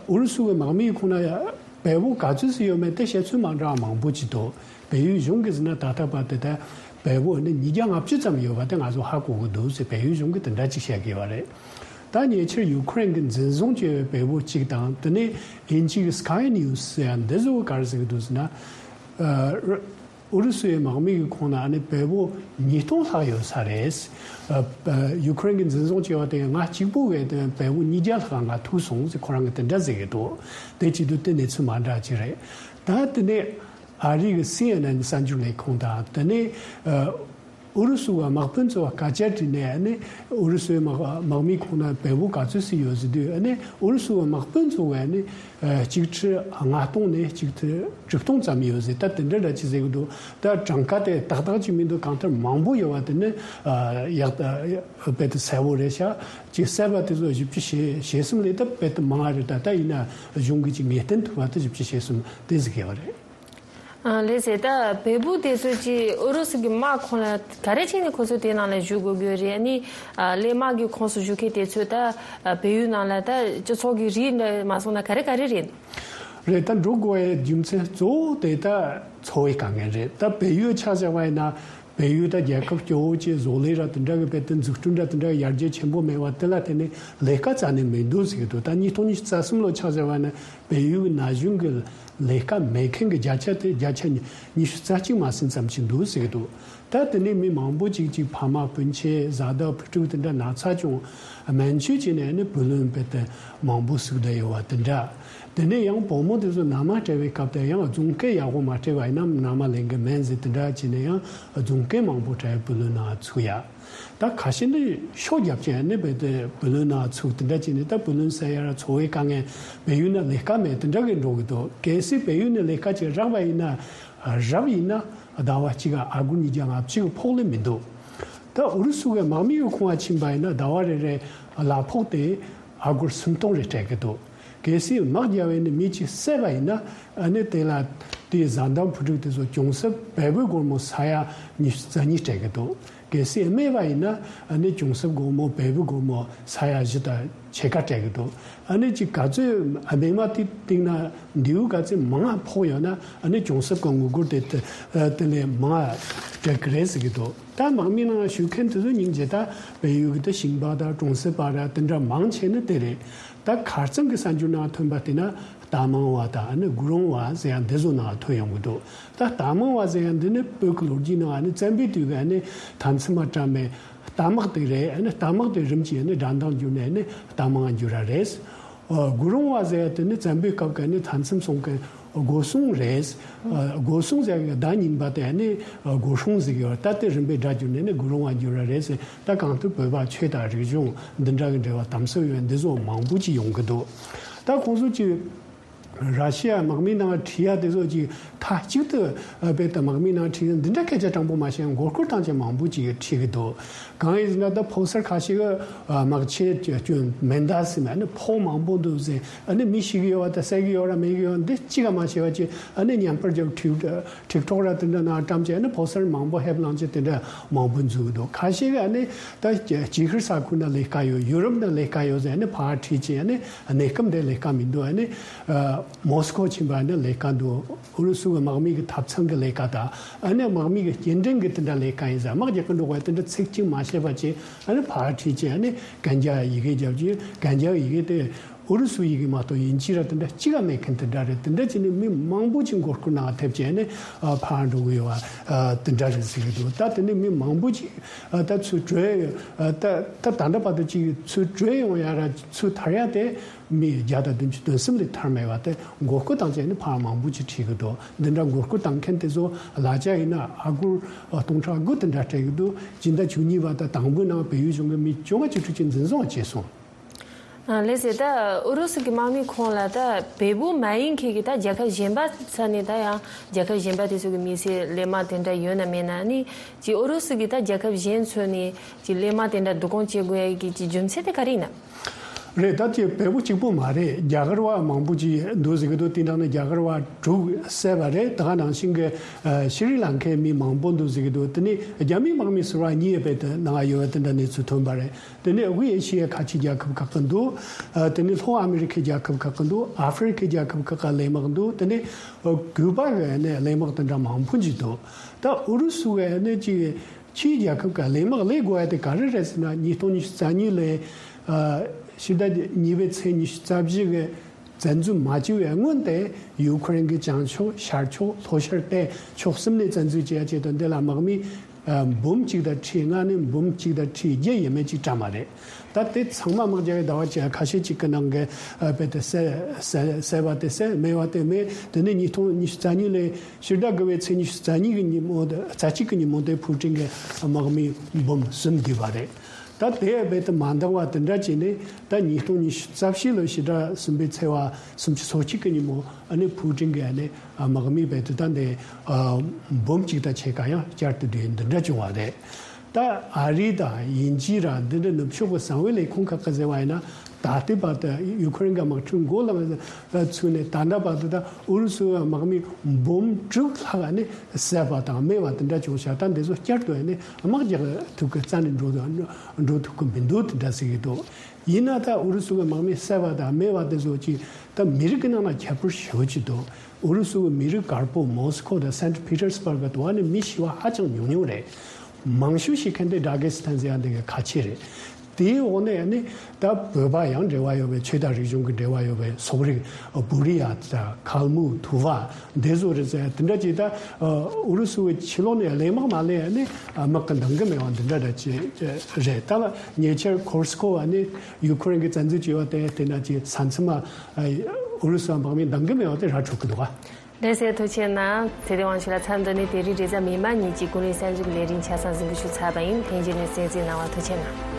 ཨུ་རུ་སུ་གི་དམག་མིའི་ཁོངས་ན་བལ་པོ་ག་ཚོད་ཙམ་ཡོད་མེད་དེ་བཤད་ཚུལ་མ་འདྲ་བ་མང་པོ་ཅིག་འདུག་བལ་ཡུལ་གཞུང་གིས་ཟེར་ན་ད་ལྟ་བར་དུ་ད་བལ་པོ་ནི་ཉིས་བརྒྱ་ལྔ་བཅུ་ཙམ་ཡོད་པ་དེ་ང་ཚོ་ཧ་གོ་གི་འདུག་ཟེར་བལ་ཡུལ་གཞུང་གིས་དེ་འདྲ་ཅིག་བཤད་ཀྱི་ཡོད་རེད། ད་ཉེ་ཆར་ཡུ་ཁུ་རེན་གྱིས་འཛིན་བཟུང་བྱས་པའི་བལ་པོ་གཅིག་དང་། དེ་ནས་དབྱིན་ཇི་གི་Sky News་ཟེར་ཡ་འདི་ཚོ་ག་རེ་ཟེར་གྱི་འདུག་ཟེར་ན། ཨུ་རུ་སུའི་དམག་མི་གི་ཁོངས་ན་ཨ་ནི་བལ་པོ་ཉིས་སྟོང་ལྷག་ཡོད་ས་རེད། ཨ་ཨ་ཡུ་ཁུ་རེན་གྱིས་འཛིན་བཟུང་བྱས་པ་དེ་ང་གཅིག་པུ་གིས་དེ་བལ་པོ་ཉིས་བརྒྱ་ལྷག་ང་ཐུག་སོང་ཟེར་ཁོ་རང་གིས་དེ་འདྲ་ཟེར་གྱི་འདུག་དེ་བྱེད་དུས་དེ་གནས་ཚུལ་མ་འདྲ་ཅིག་རེད། ད་དེ་ནས་ཨ་རི་གི་སི་ཨེན་ཨེན་གསར་འགྱུར་ལས་ཁུངས་དང་། དེ་ནས་ཨ་ཨུ་རུ་སུ་བ་དམག་དཔོན་ཚོ་བ་སྐད་ཆ་དྲིས་ནས་ཨ་ནི་ཨུ་རུ་སུའི་དམག་དམག་མིའི་ཁོངས་ན་བལ་པོ་ག་ཚོད་ཙམ་ཡོད་ཟེར་དུས། ཨ་ནི་ཨུ་རུ་སུ་བ་དམག་དཔོན་ཚོ་བས་ཨ་ནི་ཨ་གཅིག་ཁྲི་ལྔ་སྟོང་ནས་གཅིག་ཁྲི་དྲུག་སྟོང་ཙམ་ཡོད་ཟེར། ད་དེ་འདྲ་འདྲ་ཅིག་ཟེར་གི་འདུག་ད་གྲངས་ཀ་དེ་ཏག་ཏག་ཅིག་མི་འདུག་གང་ལྟར་མང་པོ་ཡོད་པ་དེ་ནི་ཨ་ཡག་ད་དཔེ་དེ་གསལ་པོ་རེད་ཤག་ཅིག་བསད་པ་དེ་ཚོ་བཞི་བཅུ་ཞེ་ཞེ་གསུམ་ལས་ད་དཔེ་དེ་མང་བ་རེད། ད་ད་ཡིན་ན་གཞུང་གིས་ཅིག་ངེས་གཏན་ཐུབ་པ་དེ་བཞི་བཅུ་ཞེ་གསུམ་དེ་ཟེར་གི་ཡོད་རེད། ཨ་ལགས་སེ། ད་བལ་པོ་དེ་ཚོ་ཅིག་ཨུ་རུ་སུ་གི་དམག་ཁོངས་ལ་ག་རེ་བྱས་ནས་ཁོ་ཚོ་དེ་ནང་ལ་བཞུགས་དགོས་ཀྱི་ཡོད་རེད། ཨ་ནི་ཨ་གླས་དམག་གི་ཁོངས་སུ་བཞུགས་མཁན་དེ་ཚོ་ད་ཨ་བལ་ཡུལ་ནང་ལ་ད་སྤྱི་ཚོགས་ཀྱི་རིགས་འདྲ་མ་སོང་ན་ག་རེ་ག་རེ་རེད། རེད། ད་འགྲོ་དགོས་པའི་རྒྱུ་མཚན་གཙོ་བོ་དེ་ད་འཚོ་བའི་དཀའ་ངལ་རེད། ད་བལ་ཡུལ་ཆ་བཞག་པ་ཡིན་ན། བལ་ཡུལ་ད་རྒྱལ་ཁབ་སྐྱོ་བོ་ཅིག་བཟོ་ལས་ར་དེ་འདྲ་གི་དཔེ་དེ་འཛུགས་སྐྲུན་ར་དེ་འདྲ་གི་ཡར་རྒྱས་ཆེན་པོ་མེད་པ་དེ་ལ་བརྟེན་ནས་ལས་ཀ་རྩ་ནས་མི་འདུག་ཟེར་གི་འདུག་ད་ཉིས་སྟོང་ཉི་ཤུ་རྩ་གསུམ་ལོ་ཆ་བཞག་པ་ན་བལ་ཡུལ་གི་ན་གཞོན་གི་ལས་ཀ་མེད་མཁན་གི་བརྒྱ་ཆ་དེ་བརྒྱ་ཆ་ཉི་ཉི་ཤུ་རྩ་གཅིག་མ་ཟིན་ཙམ་ཅིག་འདུག་ཟེར་གི་འདུག་ད་དེ་ནས་མི་མང་པོ་ཅིག་ཅིག་ཕ་མ་སྤུན་མཆེད་བཟའ་ཟླ་བུ་ཕྲུག་དེ་འདྲ་ན་ཚ་བྱུང་། སྨན་བཅོས་བྱས་ནས་ནི་བུ་ལོན་རྦད་དེ་མང་པོ་ཟུག་བསྡད་ཡོད་པ་དེ་འདྲ། དེ་ནས་ཡང་བུ་མོ་དེ་ཚོ་མནའ་མ་སྤྲད་པའི་སྐབས་དེ་ཡང་རྫོང་སྐད་ཡག་པོ་མ་སྤྲད་པ་ཡིན་ན་མནའ་མ་ལེན་གི་མེད་ཟེར་དེ་འདྲ་བྱས་ནས་ཡང་རྫོང་སྐད་མང་པོ་སྤྲད་བུ་ལོན་ནང་ཚུགས་ཡ། ད་ཁ་ཤས་ནི་ཤོ་རྒྱབ་ཀྱི་ནི་རྦད་དེ་བུ་ལོན་ནང་ཚུགས་དེ་འདྲ་བྱས་ནས། ད་བུ་ལོན་ཟེར་ཡ་ར་འཚོ་བའི་དཀའ་ངལ། བལ་ཡུལ་ན་ལས་ཀ་མེད་དེ་འདྲ་གི་འགྲོ་གི་འདུག་གལ་སྲིད་བལ་ཡུལ་ནས་ལས་ཀ་ཅིག་རག་པ་ཡིན་ན། རབ་ཡིན་ན་ཟླ་བ་གཅིག་ག་ཨ་སྒོར་ཉིས་བརྒྱ་ལྔ་བཅུ་གི་ཕོགས་ལས་མི་འདུག་ད་ཨུ་རུ་སུ་གི་དམག་མི་གི་ཁོངས་ཕྱིན་པ་ཡིན་ན་ཟླ་བ་རེ་རེ་གླ་ཕོགས་དེ་ཨ་སྒོར་སུམ་སྟོང་རེ་སྤྲད་གི་འདུག་གལ་སྲིད་དམག་རྒྱབ་པའི་ནི་མི་གཅིག་བསད་པ་ཡིན་ན། ཨ་ནི་དེ་ལ་དེའི་བཟའ་ཟླ་བུ་ཕྲུག་དེ་ཚོ་གྱོང་གསབ་བལ་པོའི་སྒོར་མོ་ས་ཡ་ཉི་ཤུ་རྩ་གཉིས་སྤྲད་གི་འདུག་གལ་སྲིད་རྨས་པ་ཡིན་ན་ཨ་ནི་གྱོང་གསབ་སྒོར་མོ་བལ་པོའི་སྒོར་མོ་ས་ཡ་བཞི་དང་ཕྱེད་ཀ་སྤྲད་གི་འདུག་ཨ་ནི་ཅིག་ག་ཚོད་རྨས་མ་དེ་སྟེང་ན་མདེའུ་ག་ཚོད་མང་ང་ཕོག་ཡོད་ན་ཨ་ནི་གྱོང་གསབ་གི་དངུལ་སྒོར་དེ་དེ་དེ་ལས་མང་ང་སྤྲད་གི་རེད་ཟེར་གི་འདུག་ད་དམག་མི་ནང་ཞུགས་མཁན་དེ་ཚོ་སྙིང་རྗེ། ད་བལ་ཡུལ་གི་ད་ཞིང་པ་དང་གྲོང་གསེབ་པ་ར་དེ་འདྲ་མང་ཆེ་ནི་དེ་རེད། ད་ཁ་རྩང་གི་གསར་འགྱུར་ནང་ཐོན་པ་དེ་ན་རྟ་མང་བ་དང་ཨ་ནི་དགུ་རོང་བ་ཟེར་ཡ་འདི་ཚོ་ནང་ཐོན་ཡོང་གི་འདུག་ད་རྟ་མང་བ་ཟེར་ཡ་འདི་ནི་བོད་ཀྱི་ལོ་རྒྱུས་ནང་ཨ་ནི་བཙན་པོའི་དུས་ཀྱི་ཨ་ནི་མཐའ་མཚམས་མ་བཀྲམ་པའི་རྟ་དམག་དེ་རེད། ཨ་ནི་རྟ་དམག་དེ་རིམ་གྱིས་ཨ་ནི་དགྲ་མདང་བསྒྱུར་ནས་ཨ་ནི་རྟ་མང་བསྒྱུར་ར་རེད། ཨ་དགུ་རོང་བ་ཟེར་ཡ་དེ་ནི་བཙན་པོའི་སྐབས་ཀྱི་ཨ་ནི་མཐའ་མཚམས་སྲུང་མཁན་སྒོ་སྲུང་རེད། ཨ་སྒོ་སྲུང་ཟེར་ཡ་གི་བརྡ་རྙིང་པ་དེ་ཨ་ནི་སྒོ་སྲུང་ཟེར་གི་ཡོད། ད་དེ་རིམ་པས་སྒྲ་བསྒྱུར་ནས་ཨ་ནི་དགུ་རོང་བ་བསྒྱུར་ར་རེད་ཟེར། ད་གང་ལྟར་བོད་པ་ཆོས་དང་རིག་གཞུང་འདི་འདྲ་གི་འབྲེལ་བ་དམ་ཟབ་ཡོད་འདི་ཚོ་མང་པོ་ཅིག་ཡོང་གི་འདུག་ད་ཁོང་ཚོ་ཅིག་ར་ཤི་ཡ་དམག་མི་ནང་ཁྲིད་ཡ་དེ་ཚོ་ཅིག་མཐའ་གཅིག་ཏུ་ཨ་རྦད་དེ་དམག་མི་ནང་ཁྲིད་ཡ་འདི་འདྲ་སྐད་ཆ་དྲང་པོ་མ་བཤད་མགོ་སྐོར་བཏང་ཅན་མང་པོ་ཅིག་ཁྲིད་གི་འདུག་གང་ཡིན་ཟེར་ན་ད་ཕོ་གསར་ཁ་ཤས་ཀྱི་ཨ་དམག་ཆས་སྐྱོན་མེ་མདའ་ཟེར་ནས་ཨ་ནི་ཕོགས་མང་པོ་འདུག་ཟེར། ཨ་ནི་མི་ཤི་གི་ཡོད་པ་དང་བསད་གི་ཡོད་ར་མེད་གི་ཡོད་འདི་གཅིག་ག་མ་བཤད་པ་ཅིག་ཨ་ནི་བརྙན་པར་རྒྱབ་ཁྲིད་ཊིག་ཊོག་ར་དེ་འདྲ་ནང་བཀྲམ་བྱས་ཨ་ནི་ཕོ་གསར་མང་པོ་ཕེབས་ལངས་བྱས་དེ་འདྲ་མང་པོ་འཛུལ་གི་འདུག་ཁ་ཤས་ཀྱིས་ཨ་ནི་ད་ཅིག་ཤོར་ས་ཁུལ་ན་ལས་ཀ་ཡོད། ཡུ་རོབ་ན་ལས་ཀ་ཡོད་ཟེར་ཨ་ནི་ཕར་ཁྲིད་བྱས་ཨ་ནི་གནས་སྐབས་འདིར་ལས་ཀ་མི་འདུག་ཨ་ནི་མོ་སི་ཀོ་ཕྱིན་པ་ཨ་ནི་ལས་ཀ་འདུག་ཨུ་རུ་སུ་གི་དམག་མི་གི་ཐབ་ཚང་གི་ལས་ཀ་དང་ཨ་ནི་དམག་མི་གི་སྐྱེལ་འདྲེན་གི་དེ་འདྲ་ལས་ཀ་ཡིན་ཟེར། དམག་རྒྱག་གི་འགྲོ་བ་དེ་འདྲ་ཚིག་གཅིག་མ་བཤད་པ་བྱས་ཨ་ནི་ཕར་ཁྲིད་བྱས་ཨ་ནི་གན་རྒྱ་ཡི་གེ་རྒྱབ་ཀྱི། གན་རྒྱ་ཡི་གེ་དེ་ཨུ་རུ་སུ་ཡི་གེ་མ་གཏོགས་དབྱིན་ཇི་ར་དེ་འདྲ་གཅིག་ག་མེད་མཁན་དེ་འདྲ་རེད། དེ་འདྲ་བྱས་ནས་མི་མང་པོ་ཅིག་མགོ་སྐོར་ནང་ཐེབས་བྱས་ནས་ཨ་ཕར་འགྲོ་གི་ཡོད་པ་ཨ་དེ་འདྲ་རེད་ཟེར་གི་འདུག་ད་དེ་ནས་མི་མང་པོ་ཅིག་ཨ་ད་ཚུར་བྲོས་ཨ་ད་ད་ད་ལྟ་བར་དུ་ཅིག་ཚུར་བྲོས་ཡོང་ཡ་ར་ཚུར་ཐར་ཡ་དེ་མི་བརྒྱ་དང་བདུན་ཅུ་དོན་གསུམ་ལས་ཐར་མེད་པ་དེ་མགོ་སྐོར་བཏང་བྱས་ནས་ཕར་མང་པོ་ཅིག་ཁྲིད་གི་འདུག་འདི་འདྲ་མགོ་སྐོར་བཏང་མཁན་དེ་ཚོ་གླ་ཆ་ཡིན་ན་ཨ་སྒོར་སྟོང་ཕྲག་དགུ་དེ་འདྲ་སྤྲད་གི་འདུག་སྤྱི་ཟླ་བཅུ་གཉིས་པ་དང་དང་པོའི་ནང་བལ་ཡུལ་གཞུང་གི་མི་བཅོ་ལྔ་བཅུ་དྲུག་ཅིག་འཛིན་བཟུང་བྱས་སོང་། ཨ་ལགས་སོ། ད་ཨུ་རུ་སུ་གི་དམག་མི་ཁོངས་ལ་ད་བལ་པོ་མ་ཡིན་མཁན་གྱི་ད་རྒྱལ་ཁབ་གཞན་པ་ས་ནས་ད་ཡང་རྒྱལ་ཁབ་གཞན་པ་དེ་ཚོ་གི་མི་སེར་གླས་དམག་དེ་འདྲ་ཡོད་ན་མེད་ན་ནི་ཅིག་ཨུ་རུ་སུ་གི་ད་རྒྱལ་ཁབ་གཞན་ཚོ་ནས་ཅིག་གླས་དམག་དེ་འདྲ་བསྡུ་སྐོང་བྱེད་དགོས་ཡ་གི་ཅིག་རྒྱུ་མཚན་དེ་ག་རེ་ཡིན་ན། རེད། ད་ཅིག་བལ་པོ་གཅིག་པོ་མ་རེད། རྒྱ་གར་བ་མང་པོ་ཅིག་འདུག་ཟེར་གི་འདུག་དེ་ནང་ནས་རྒྱ་གར་བ་དྲུག་བསད་པ་རེད། ད་ག་ནང་བཞིན་གྱི་ཨ་ཤི་རི་ལང་ཀའི་མི་མང་པོ་འདུག་ཟེར་གི་འདུག་དེ་ནས་རྒྱ་མིའི་དམག་མི་ཟུར་པ་གཉིས་རྦད་དེ་ནང་ཡོད་པ་དེ་འདྲ་གནས་ཚུལ་ཐོན་པ་རེད། དེ་ནས་དབུས་ཨེ་ཤི་ཡའི་ཁ་ཆེ་རྒྱལ་ཁབ་ཁག་གི་འདུག་ཨ་དེ་ནས་ལྷོ་ཨ་མི་རི་ཁའི་རྒྱལ་ཁབ་ཁག་གི་འདུག་ཨ་ཧྥེ་རི་ཁའི་རྒྱལ་ཁབ་ཁག་གི་གླས་དམག་འདུག་དེ་ནས་ཨ་ཀུ་པ་གི་ནས་གླས་དམག་དེ་འདྲ་མང་པོ་ཅིག་འདུག་ད་ཨུ་རུ་སུ་གི་ནས་ཅིག་ཕྱིའི་རྒྱལ་ཁབ་ཀྱི་གླས་དམག་གླས་དགོས་ཡ་དེ་ག་རེ་རེད་ཟེར་ན། ཉིས་སྟོང་ཉི་ཤུ་རྩ་གཉིས་ལོའི་ཨ་ཕྱི་ཟླ་གཉིས་པའི་ཚེས་ཉི་ཤུ་རྩ་བཞི་གི་བཙན་འཛུལ་མ་བྱས་པའི་སྔོན་དེ་ཡུ་ཁུ་རེན་གྱི་བྱང་ཕྱོགས། ཤར་ཕྱོགས། ལྷོ་ཤར་བལྟས་ཕྱོགས་གསུམ་ནས་བཙན་འཛུལ་བྱེད་ཡ་ཆེད་དུ་འདི་ལ་དམག་མི་ཨ་འབུམ་གཅིག་དང་ཁྲི་ལྔ་ནས་འབུམ་གཅིག་དང་ཁྲི་བརྒྱད་ཡས་མས་ཅིག་བཀྲམ་པ་རེད། ད་དེ་ཚང་མ་དམག་རྒྱག་པའི་ཟླ་བ་བཅུ་ཁ་ཤས་ཅིག་གི་ནང་གི་ཨ་རྦད་དེ་བསད་བསད་བསད་པ་དེ་བསད། རྨས་པ་དེ་རྨས། དེ་ནས་ཉིས་སྟོང་ཉི་ཤུ་རྩ་གཉིས་ལོའི་ཕྱི་ཟླ་དགུ་པའི་ཚེས་ཉི་ཤུ་རྩ་གཉིས་ཀྱི་ཉིན་མོ་དེ། རྩ་གཅིག་གི་ཉིན་མོ་དེ་ཕུའུ་ཀྲིན་གྱི་དམག་མི་འབུམ་གསུམ་བསྡུས་པ་རེད། ད་དེ་རྦད་དེ་མ་འདང་བ་དེ་འདྲ་བྱས་ནས་ད་ཉིས་སྟོང་ཉི་ཤུ་རྩ་བཞི་ལོའི་ཕྱི་ཟླ་གསུམ་པའི་ཚེས་པ་སུམ་ཅུ་སོ་གཅིག་གི་ཉིན་མོ་ཨ་ནི་ཕུའུ་ཀྲིན་གྱི་ཨ་ནི་དམག་མི་རྦད་དེ་ད་འདི་འབུམ་གཅིག་དང་ཕྱེད་ཀ་ཡང་བསྐྱར་དུ་བསྡུས། འདི་འདྲ་བྱུང་བ་རེད། ད་ཨ་རི་དང་དབྱིན་ཇི་ར་འདི་འདྲ་ནུབ་ཕྱོགས་ཀྱི་གསང་བའི་ལས་ཁུངས་ཁག་གིས་ཟེར་བ་ཡིན་ན། ད་ལྟའི་བར་དུ་ཡུ་ཁུ་རེན་གྱི་དམག་འཁྲུག་འགོ་ལ་ཚུགས་ནས་ད་ལྟ་བར་དུ་ད་ཨུ་རུ་སུའི་དམག་མི་འབུམ་དྲུག་ལྷག་ནི་བསད་པ་དང་རྨས་པ་དེ་འདྲ་བྱུང་ཤག་ད་འདི་ཚོ་བསྐྱར་དུ་ནི་དམག་རྒྱག་ཐུབ་ཀྱི་རྩ་ནས་འགྲོ་འགྲོ་ཐུབ་ཀྱི་མི་འདུག་དེ་འདྲ་ཟེར་གྱི་འདུག་ཡིན་ན་ད་ཨུ་རུ་སུ་གི་དམག་མི་བསད་པ་དང་རྨས་པ་དེ་ཚོ་ཅིག་ད་མི་རིགས་ཀྱི་ནང་ལ་ཁྱད་པར་ཞེ་པོ་ཅིག་འདུག་ཨུ་རུ་སུ་གི་མི་རིགས་དཀར་པོ་མོ་སི་ཁོ་དང་སེན་ཊི་པི་ཏར་སི་བྷར་གི་དུ་བ་ནི་མི་ཤི་བ་ཧ་ཅང་ཉུང་ཉུང་རེད། མང་ཤོས་ཤི་མཁན་དེ་ཌ་གེ་སི་ཐན་ཟེར་ཡ་འདི་གི་ཁ་ཆེ་རེད། དེའི་འོག་ནས་ནི་ད་བོད་པ་ཡང་འབྲེལ་བ་ཡོད་པའི་ཆོས་དང་རིག་གཞུང་གི་འབྲེལ་བ་ཡོད་པའི་སོག་རིགས་བུ་རི་ཡ་དང་ཁལ་མུག་ཐུ་བ་འདི་ཚོ་རེད་ཟེར། དེ་འདྲ་ཅིག་ད་ཨུ་རུ་སུ་བའི་ཕྱི་ལོགས་ནས་གླས་དམག་མ་སླེབས་ནི་དམག་གི་འདང་གི་མེད་པ་འདི་འདྲ་འདྲ་ཅིག་རེད། ད་ལ་ཉེ་ཆར་ཁོར་སི་ཁོ་བ་ནི་ཡུ་ཁུ་རེན་གྱི་བཙན་འཛུལ་བྱས་པ་དེ་དེ་འདྲ་ཅིག་ས་མཚམས་མ་ཨུ་རུ་སུ་དམག་མིས་འདང་གི་མེད་པ་དེ་ར་འཕྲོད་ཀྱི་འདུག་ག། ལགས་སོ། ཐུགས་རྗེ་གནང་། ཚེ་བརྟན་དབང་ཕྱུག་ལགས། མཚམས་འདི་ནས་དེ་རིང་རེས་གཟའ་མིག་དམར་ཉིན་གྱི་ཀུན་གླེང་གསར་འགྱུར་གྱི་ལས་རིམ་ཆ་ཚང་གཟིགས་འབུལ་ཞུས་ཚར་བ་ཡིན། ལྷན་རྒྱས་ནས་གསན་གཟིགས་གནང་བར་ཐུགས་རྗེ་གནང་།